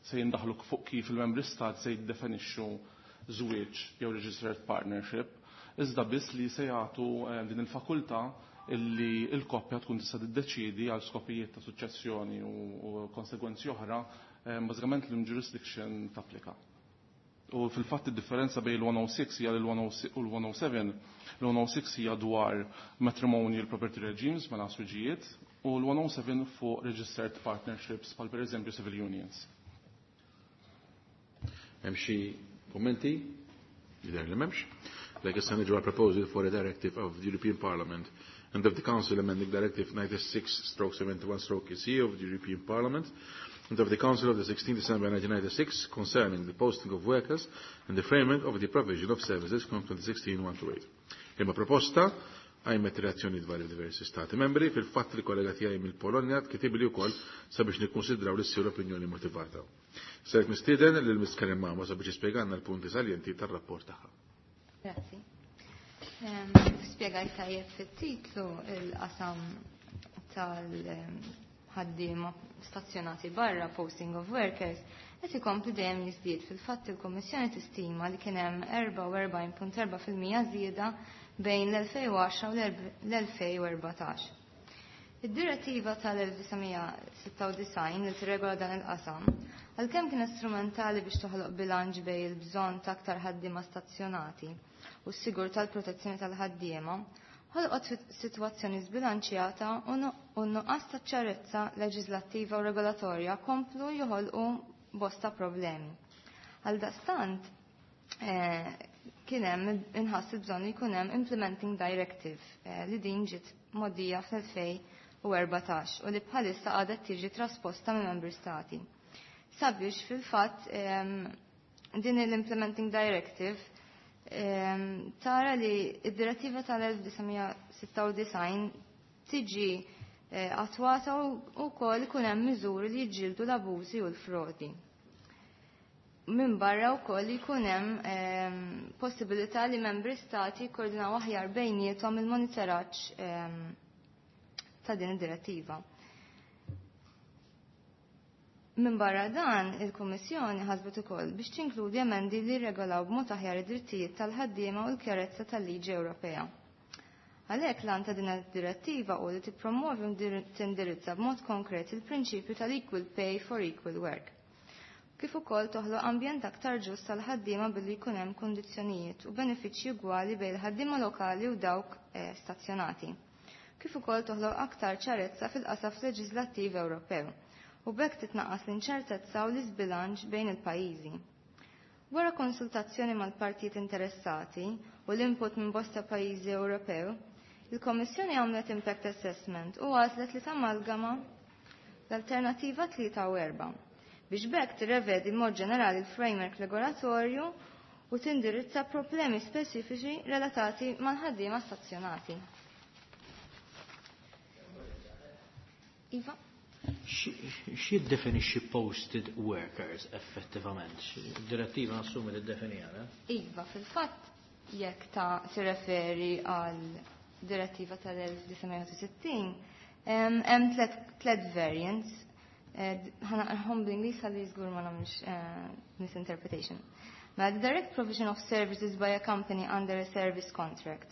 [SPEAKER 8] se jindaħlu fuq kif il-membri stat se jiddefinixxu żwieġ jew registered partnership, iżda biss li se jagħtu din il-fakultà illi il-koppja tkun tista' tiddeċiedi għal skopijiet ta' suċċessjoni u konsegwenzi oħra bażikament l jurisdiction tapplika. U fil-fatt id-differenza bejn il-one oh six hija l u l-one oh seven. L-one oh six hija dwar matrimonial property regimes, mela żwiġijiet, u l-one oh seven fuq registered partnerships bħal per eżempju civil unions.
[SPEAKER 1] Hemm xi kummenti? Jidher li m'hemmx. Like issa niġu proposal for a directive of the European Parliament and of the Council amending Directive ninety-six stroke seventy-one stroke E C of the European Parliament and of the Council of the sixteenth December nineteen ninety-six concerning the posting of workers and the framework of the provision of services, COM twenty sixteen one twenty-eight. Imma proposta qajmet reazzjoni dwar diversi stati membri. Fil-fatt li kollega tiegħi mill-Polonja kitibli wkoll sabiex nikkonsidraw li ssir opinjoni motivata. Ser nistieden lil Miss Karin Mamo sabiex jispjegalna l-punti saljenti tar-rapport tagħha.
[SPEAKER 9] Grazzi. Spjegajt tajjeb fit-titlu, il-qasam tal-ħaddiema stazzjonati barra, posting of workers, qed ikompli dejjem jiżdied. Fil-fatt il-Kummissjoni tistima li kien hemm erbgħa u erbgħin punt erbgħa fil-mija żieda bejn l-elfejn u għaxra u l-elfejn u erbatax. Id-direttiva tal-elf disa' mija sitta u disgħin li tirregola dan il-qasam, għalkemm kien strumentali biex toħloq bilanċ bejn il-bżonn ta' aktar ħaddiema stazzjonati u s-sigur tal-protezzjoni tal-ħaddiema, ħolqot sitwazzjoni żbilanċjata u nuqqas ta' ċarezza leġislattiva u regolatorja komplu joħolqu bosta problemi. Għaldaqstant, eh, kien hemm inħass il-bżonn li jkun hemm Implementing Directive eh, li din ġiet mgħoddija fl-elfejn u erbatax u li bħalissa għadha tiġi trasposta minn membri stati. Sabiex fil-fatt din l-Implementing Directive tara li id-direttiva tal-elf disa' mija sitta u disgħin tiġi eh, attwata u wkoll ikun hemm miżuri li jġildu l-abużi u l-frodi. Minn barra wkoll jkun hemm possibilità li membri stati jkoordinaw aħjar bejniethom il-monitoraġġ ta' din id-direttiva. Minn barra dan, il-Kummissjoni ħasbet ukoll biex tinkludi emendi li regolaw b'mod aħjar id-drittijiet tal-ħaddiema u l-kjarezza tal-liġi Ewropea. Għalhekk l ta' din id-direttiva u li tippromovi u tindirizza b'mod konkret il-prinċipju tal-equal pay for equal work. Kif ukoll toħloq ambjent aktar ġust tal-ħaddiema billi jkun hemm kundizzjonijiet u benefiċċji ugwali bejn il-ħaddiema lokali u dawk eh, stazzjonati. Kif ukoll toħloq aktar ċarezza fil-qasaf leġislattiv Ewropew u b'hekk titnaqqas l-inċertezza u l-iżbilanċ bejn il-pajjiżi. Wara konsultazzjoni mal-partijiet interessati u l-input minn bosta pajjiżi Ewropew, il-Kommissjoni għamlet impact assessment u għażlet li tamalgama l-alternativa tlieta u erba' biex b'hekk tirrevedi mod ġenerali l-framework regolatorju u tindirizza problemi speċifiċi relatati mal-ħaddiema stazzjonati. Iva?
[SPEAKER 5] X'jiddefinixxi posted workers effettivament? Direttiva nassumi li ddefinija, ne?
[SPEAKER 9] Iva, fil-fatt jekk ta' tirreferi għal direttiva tal-elf disa' mija sittin, hemm tlet variants. Eh, ħa naqrahom bl-Ingliż ħalli żgur ma nagħmlux eh, misinterpretation. Ma the direct provision of services by a company under a service contract.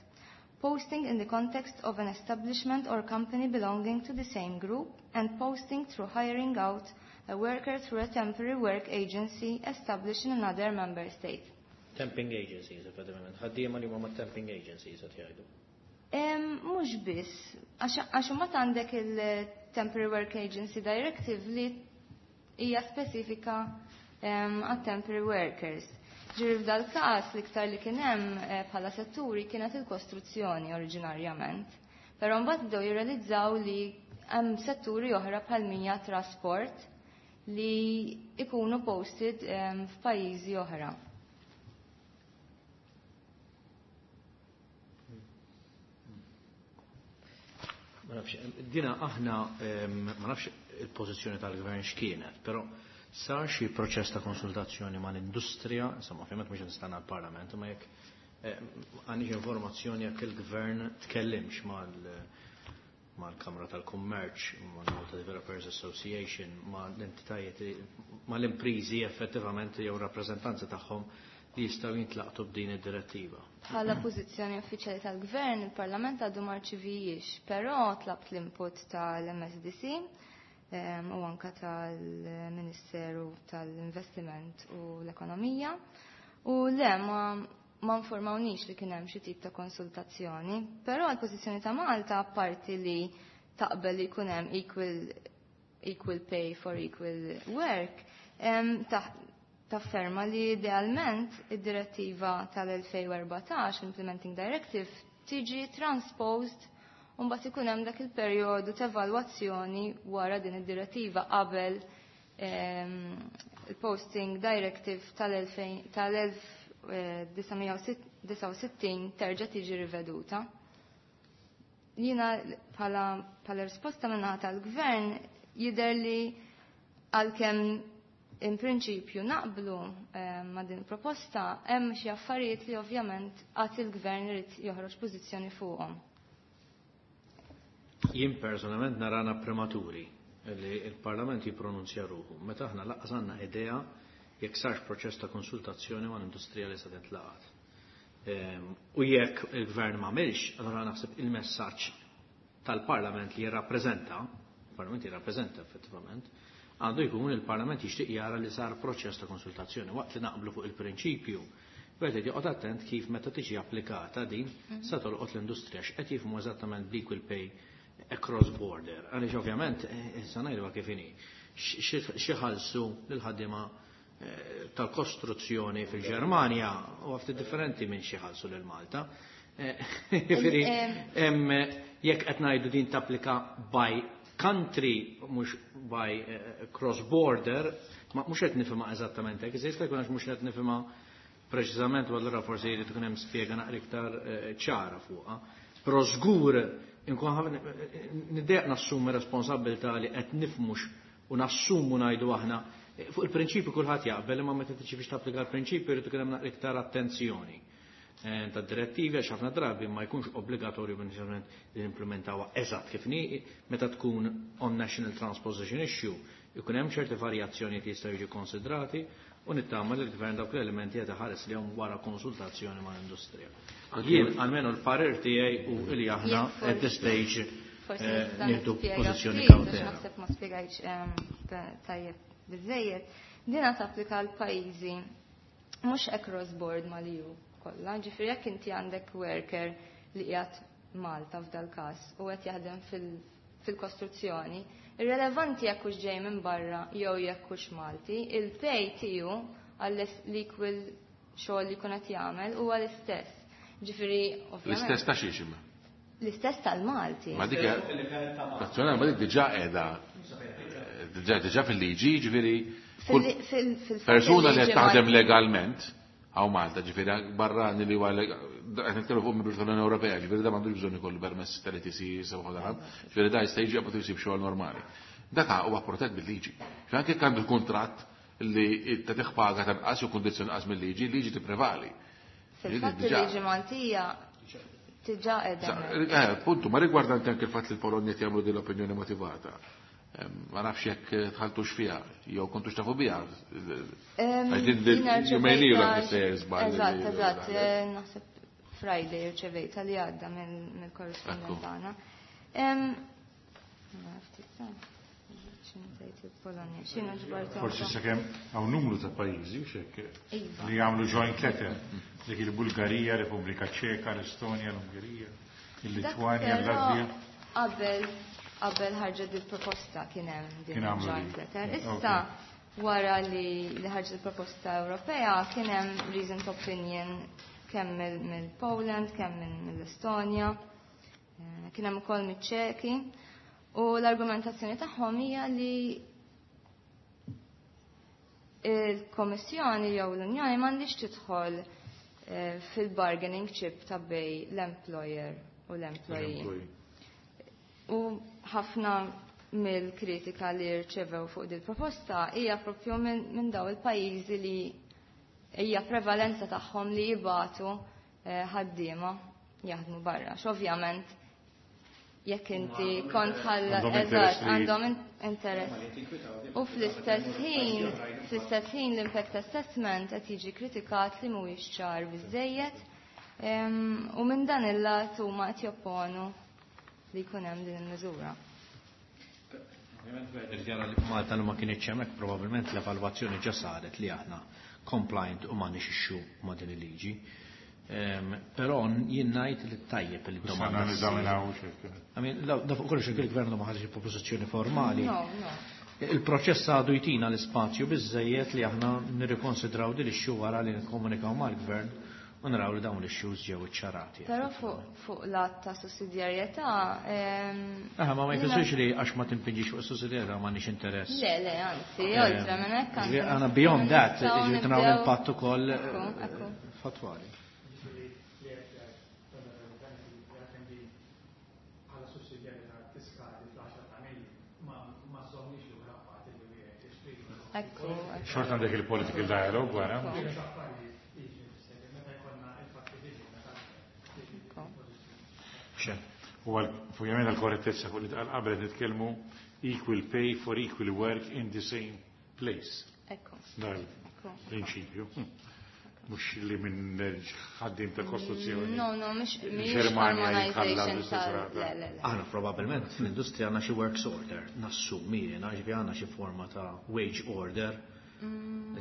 [SPEAKER 9] Posting in the context of an establishment or company belonging to the same group and posting through hiring out a worker through a temporary work agency established in another member state.
[SPEAKER 5] Temping agencies, effettivament. Ħaddiema li huma ma' temping agencies qed jgħidu.
[SPEAKER 9] Mhux biss, għax imbagħad għandek il-Temporary Work Agency Directive li hija spesifika għat temporary workers. Ġifieri f'dal każ l-iktar li kien hemm eh, bħala setturi kienet il-kostruzzjoni oriġinarjament. Però mbagħad bdew jirrealizzaw li hemm setturi oħra bħal mija trasport li ikunu posted f'pajjiżi oħra.
[SPEAKER 5] Ma nafx, dina aħna, ma nafx il-pożizzjoni tal-gvern x'kienet, però sar xi proċess ta' konsultazzjoni mal-industrija, insomma, ovvjament mhux nistenna l-Parlament, ma jekk għandix informazzjoni jekk il-gvern tkellimx mal mal-Kamra tal-Kummerċ, mal-Malta Developers Association, ma l-entitajiet, ma l-imprizi effettivament jew rappreżentanza tagħhom li jistgħu jintlaqtu b'din id-direttiva.
[SPEAKER 9] Bħala pożizzjoni uffiċjali tal-Gvern, il-Parlament għadu ma rċivijiex, però tlabt l-input tal-M S D C u anka tal-Ministeru tal-Investiment u l-Ekonomija. U le, ma ma informawnix li kien hemm xi tip ta' konsultazzjoni, però l-pożizzjoni ta' Malta apparti li taqbel li jkun hemm equal, equal pay for equal work, tafferma li idealment id-direttiva tal-elfejn u erbatax, Implementing Directive, tiġi transposed u mbagħad ikun hemm dak il-perjodu ta' evalwazzjoni wara din id-direttiva qabel il-Posting Directive tal-elf disa' u sittin terġa' tiġi riveduta. Jiena bħala risposta minnaħa tal-gvern jidher li għalkemm in prinċipju naqblu ma' din proposta, hemm xi affarijiet li ovvjament qatt il-gvern irid joħroġ pożizzjoni fuqhom.
[SPEAKER 5] Jien personalment narana prematuri li il-Parlament jippronunzja ruħu. Meta aħna lanqas għandna idea jekk sarx proċess ta' konsultazzjoni ma' l-industrija li se tintlaqat. U jekk il-gvern ma għamilx, allura naħseb il-messaġġ tal-Parlament li jirrappreżenta, il-Parlament jirrappreżenta effettivament, għandu jkun il-Parlament jixtieq jara li sar proċess ta' konsultazzjoni waqt li naqblu fuq il-prinċipju. Wieħed joqgħod attent kif meta tiġi applikata din sa tolqot l-industrija x'qed jifhmu eżattament bl-equal pay across border. Għaliex ovvjament issa ngħidu kif inhi. Xi ħallsu lil ħaddiema tal-kostruzzjoni fil-Ġermanja u ftit differenti minn xi ħallsu lil Malta. Jiġifieri jekk qed ngħidu din tapplika by country mhux by cross border, ma mhux qed nifhimha eżattament hekk, iżda jista' jkun għax mhux qed nifhimha preċiżament u allura forsi jrid ikun hemm spjega naqra iktar ċara fuqha. Però żgur inkun niddejjaq nassumi responsabilità li qed nifhmux u nassumu ngħidu aħna fuq il-prinċipju kulħadd jaqbel, imma meta tiġi biex tapplika l-prinċipju jrid ikun hemm naqra iktar attenzjoni ta' direttivi għax ħafna drabi ma jkunx obbligatorju inizjalment li nimplementawha eżatt kif ni meta tkun on national transposition issue ikun hemm ċerti varjazzjoni li jistgħu jiġu konsidrati u nittama li l-gvern dawk l-elementi qed iħares lihom wara konsultazzjoni mal-industrija. Jien almenu l-parir tiegħi u li aħna at this stage nieħdu pożizzjoni kawtela.
[SPEAKER 9] Naħseb ma spjegajtx tajjeb biżejjed. Dina tapplika l pajjiżi mhux across board mal-E U kollha. Ġifieri jekk inti għandek worker li qiegħed Malta f'dal każ u qed jaħdem fil-kostruzzjoni, irrelevanti jekk hux ġej minn barra jew jekk hux Malti, il-pay tiegħu għall-equal xogħol li jkun qed jagħmel huwa l-istess. Ġifieri ovvjament.
[SPEAKER 1] L-istess ta' xiex imma?
[SPEAKER 9] L-istess tal-Malti.
[SPEAKER 1] Ma dik nazzjonali, ma dik diġà qiegħda diġà diġà fil-liġi, ġifieri kull persuna li qed taħdem legalment hawn Malta, ġifieri barrani li huwa qed nitkellmu fuq membru tal-Unjoni Ewropea, ġifieri da m'għandux bżonn ikollu permess tal-E T C sew ħadd, ġifieri da jista' jiġi qabad jsib xogħol normali. Dak huwa protett bil-liġi. Ġifieri anke jekk għandu kuntratt li tagħtih paga tanqas jew kundizzjoni inqas mill-liġi, il-liġi tipprevali.
[SPEAKER 9] Fil-fatt il-liġi Maltija diġà qiegħda.
[SPEAKER 1] Eh, puntu, ma rigwardanti anke il-fatt li l-Polonja qed jagħmlu din l-opinjoni motivata. Ma nafx jekk tħaltux fiha jew kontux tafu biha. Għax din din jumejn ilu qed issejjer żball.
[SPEAKER 9] Eżatt, eżatt, naħseb Friday rċevejta li għadda mill-korrispondent tagħna.
[SPEAKER 6] Forsi sakemm hawn numru ta' pajjiżi x'hekk li jagħmlu joint letter, dik il-Bulgarija, Repubblika Ċeka, l-Estonja, l-Ungerija, il-Litwanja, l-Latvija.
[SPEAKER 9] Qabel qabel ħarġet il-proposta kien hemm din
[SPEAKER 6] Kien għamlu
[SPEAKER 9] joint
[SPEAKER 6] din.
[SPEAKER 9] letter. Issa wara li, li ħarġet il-proposta Ewropea kien hemm recent opinion kemm mill-Poland, kemm mill-Estonja, eh, kien hemm ukoll miċ-Ċeki. U l-argumentazzjoni tagħhom hija li il-Kommissjoni jew l-Unjoni m'għandix tidħol, eh, fil-bargaining chip ta' bej l-employer u l-employee.
[SPEAKER 6] L-employee.
[SPEAKER 9] U ħafna mill-kritika li rċevew fuq din proposta hija propju minn, minn daw il-pajjiżi li hija prevalenza tagħhom li jibatu, eh, ħaddiema jaħdmu barra. X'ovvjament jekk inti kont ħalla
[SPEAKER 6] Għandhom
[SPEAKER 9] eżatt,
[SPEAKER 6] interess li
[SPEAKER 9] għandhom in-, interess. U fl-istess ħin, fl-istess ħin l-impact assessment qed jiġi kritikat li mhuwiex ċar biżejjed, em, u minn dan il-lat huma qed jopponu li jkun hemm din il-miżura.
[SPEAKER 5] Ovvjament jara li Malta li ma kienx hemmhekk probabbilment l-evalwazzjoni ġa saret li aħna compliant u m'għandniex issue ma' din il-liġi. Però jien ngħid li tajjeb li
[SPEAKER 6] domanda.
[SPEAKER 5] I mean, da fuq kollox il-gvern ma ħareġ propożizzjoni formali. Il-proċess għadu jtina l-ispazju biżejjed li aħna nirrikonsidraw din issue wara li nikkomunikaw mal-gvern u naraw li dawn l-issues ġew iċċarati.
[SPEAKER 9] Però fuq l-att ta' sussidjarjetà.
[SPEAKER 5] Aha, ma ma jfissirx li għax ma timpinġix fuq sussidjarjetà m'għandniex interess.
[SPEAKER 9] Le, le, anzi, oltre minn hekk.
[SPEAKER 5] Għana beyond that, ġifieri naraw l-impatt ukoll fatwali.
[SPEAKER 6] Xorta għandek il-political dialogue wara. U għal għal-korrettezza fuq li tqal qabel nitkellmu equal pay for equal work in the same place.
[SPEAKER 9] Ekku.
[SPEAKER 6] Dal-prinċipju. Mhux li minn ħaddim ta' kostruzzjoni.
[SPEAKER 9] No, no, mhux harmonization tal.
[SPEAKER 5] Aħna probabbilment fl-industrija għandna xi works order, nassumi jiena, ġifi għandna xi forma ta' wage order.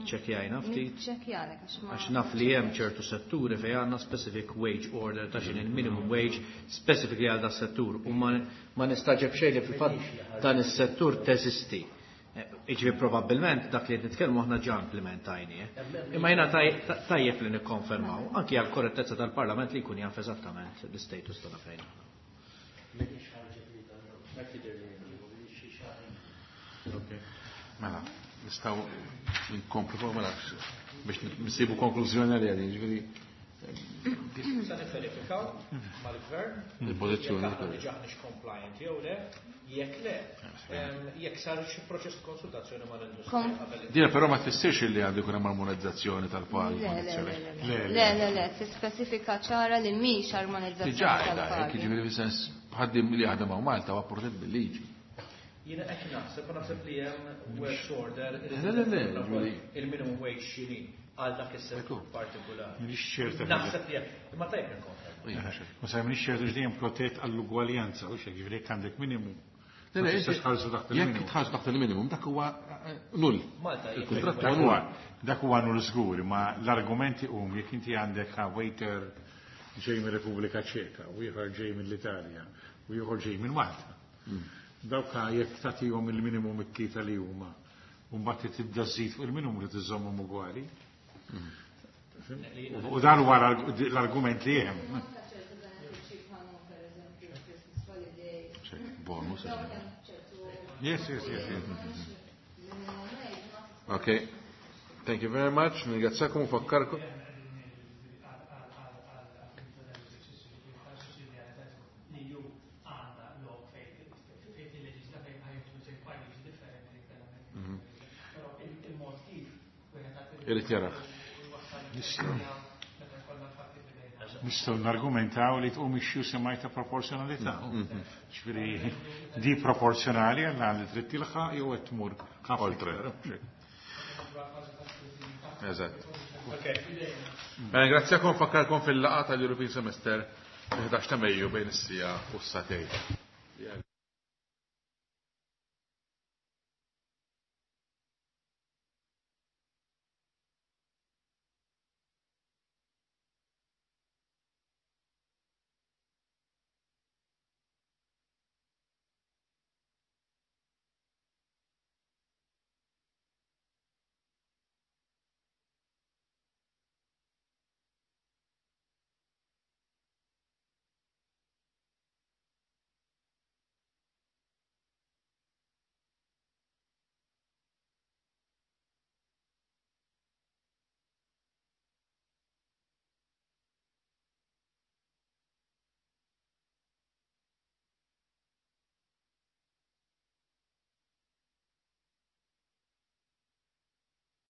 [SPEAKER 5] Ċekjajna ftit.
[SPEAKER 9] Ċekjalek għax ma.
[SPEAKER 5] Għax naf li hemm ċertu setturi fejn għandna specific wage order ta' x'inhi minimum wage specifically għal da settur u ma nistaġeb xejn li fil-fatt dan is-settur teżisti. Iġifieri probabbilment dak li qed nitkellmu aħna ġa implementajni. Imma jiena tajjeb li nikkonfermaw anki għal korrettezza tal-Parlament li jkun jaf eżattament l-istatus tagħna fejn aħna.
[SPEAKER 1] Mela, nistgħu nkomplu fuq mela biex nsibu konklużjoni għalija din, ġifieri.
[SPEAKER 5] Sa nifverifikaw mal-gvern
[SPEAKER 1] il-pożizzjoni
[SPEAKER 5] jekk aħna diġà aħniex compliant jew le, jekk le, jekk sar xi proċess ta' konsultazzjoni mal-industrija qabel.
[SPEAKER 1] Dina però ma tfissirx li għandu jkun hemm armonizzazzjoni tal-pagi.
[SPEAKER 9] Le, le, le, le, tispeċifika ċara li mhix armonizzazzjoni
[SPEAKER 1] Diġà qiegħda, jiġifieri fis-sens ħaddiem li jaħdem hawn Malta huwa protett bil-liġi.
[SPEAKER 5] Jiena qed naħseb, naħseb li hemm works order il-minimum wage x'inhi għal dak is-settur partikolari.
[SPEAKER 6] M'iniex ċerta.
[SPEAKER 5] Naħseb li hemm, imma tajjeb nikkonferma.
[SPEAKER 6] Ma sa m'iniex ċerta x'dejjem protett għall-ugwaljanza, u x'hekk jiġifieri jekk għandek minimum. Jekk
[SPEAKER 1] tħallsu taħt il-minimum, dak huwa null.
[SPEAKER 6] Il-kuntratt huwa dak huwa null żgur, ma l-argumenti hum jekk inti għandek waiter ġej mir-Repubblika Ċeka u ieħor ġej mill-Italja u ieħor ġej minn Malta. Dawk jekk tagħtihom il-minimum it-tlieta li huma u mbagħad tibda żżid fuq il-minimum li tiżommhom ugwali. U dan huwa l-argument li hemm.
[SPEAKER 1] Bonus.
[SPEAKER 6] Yes, yes, yes.
[SPEAKER 1] Okay. Thank you very much. Ningrazzakom u fakkarkom. Irrid jarax.
[SPEAKER 6] Nistgħu nargumentaw li tqum issue semmaj ta' proporzjonalità. Ġifieri di proporzjonali għal li trid tilħaq jew qed tmur
[SPEAKER 1] oltre. Eżatt. Ringrazzjakom fakkarkom fil-laqgħa tal-European Semester il-ħdax ta' Mejju bejn is-sija u s-satej.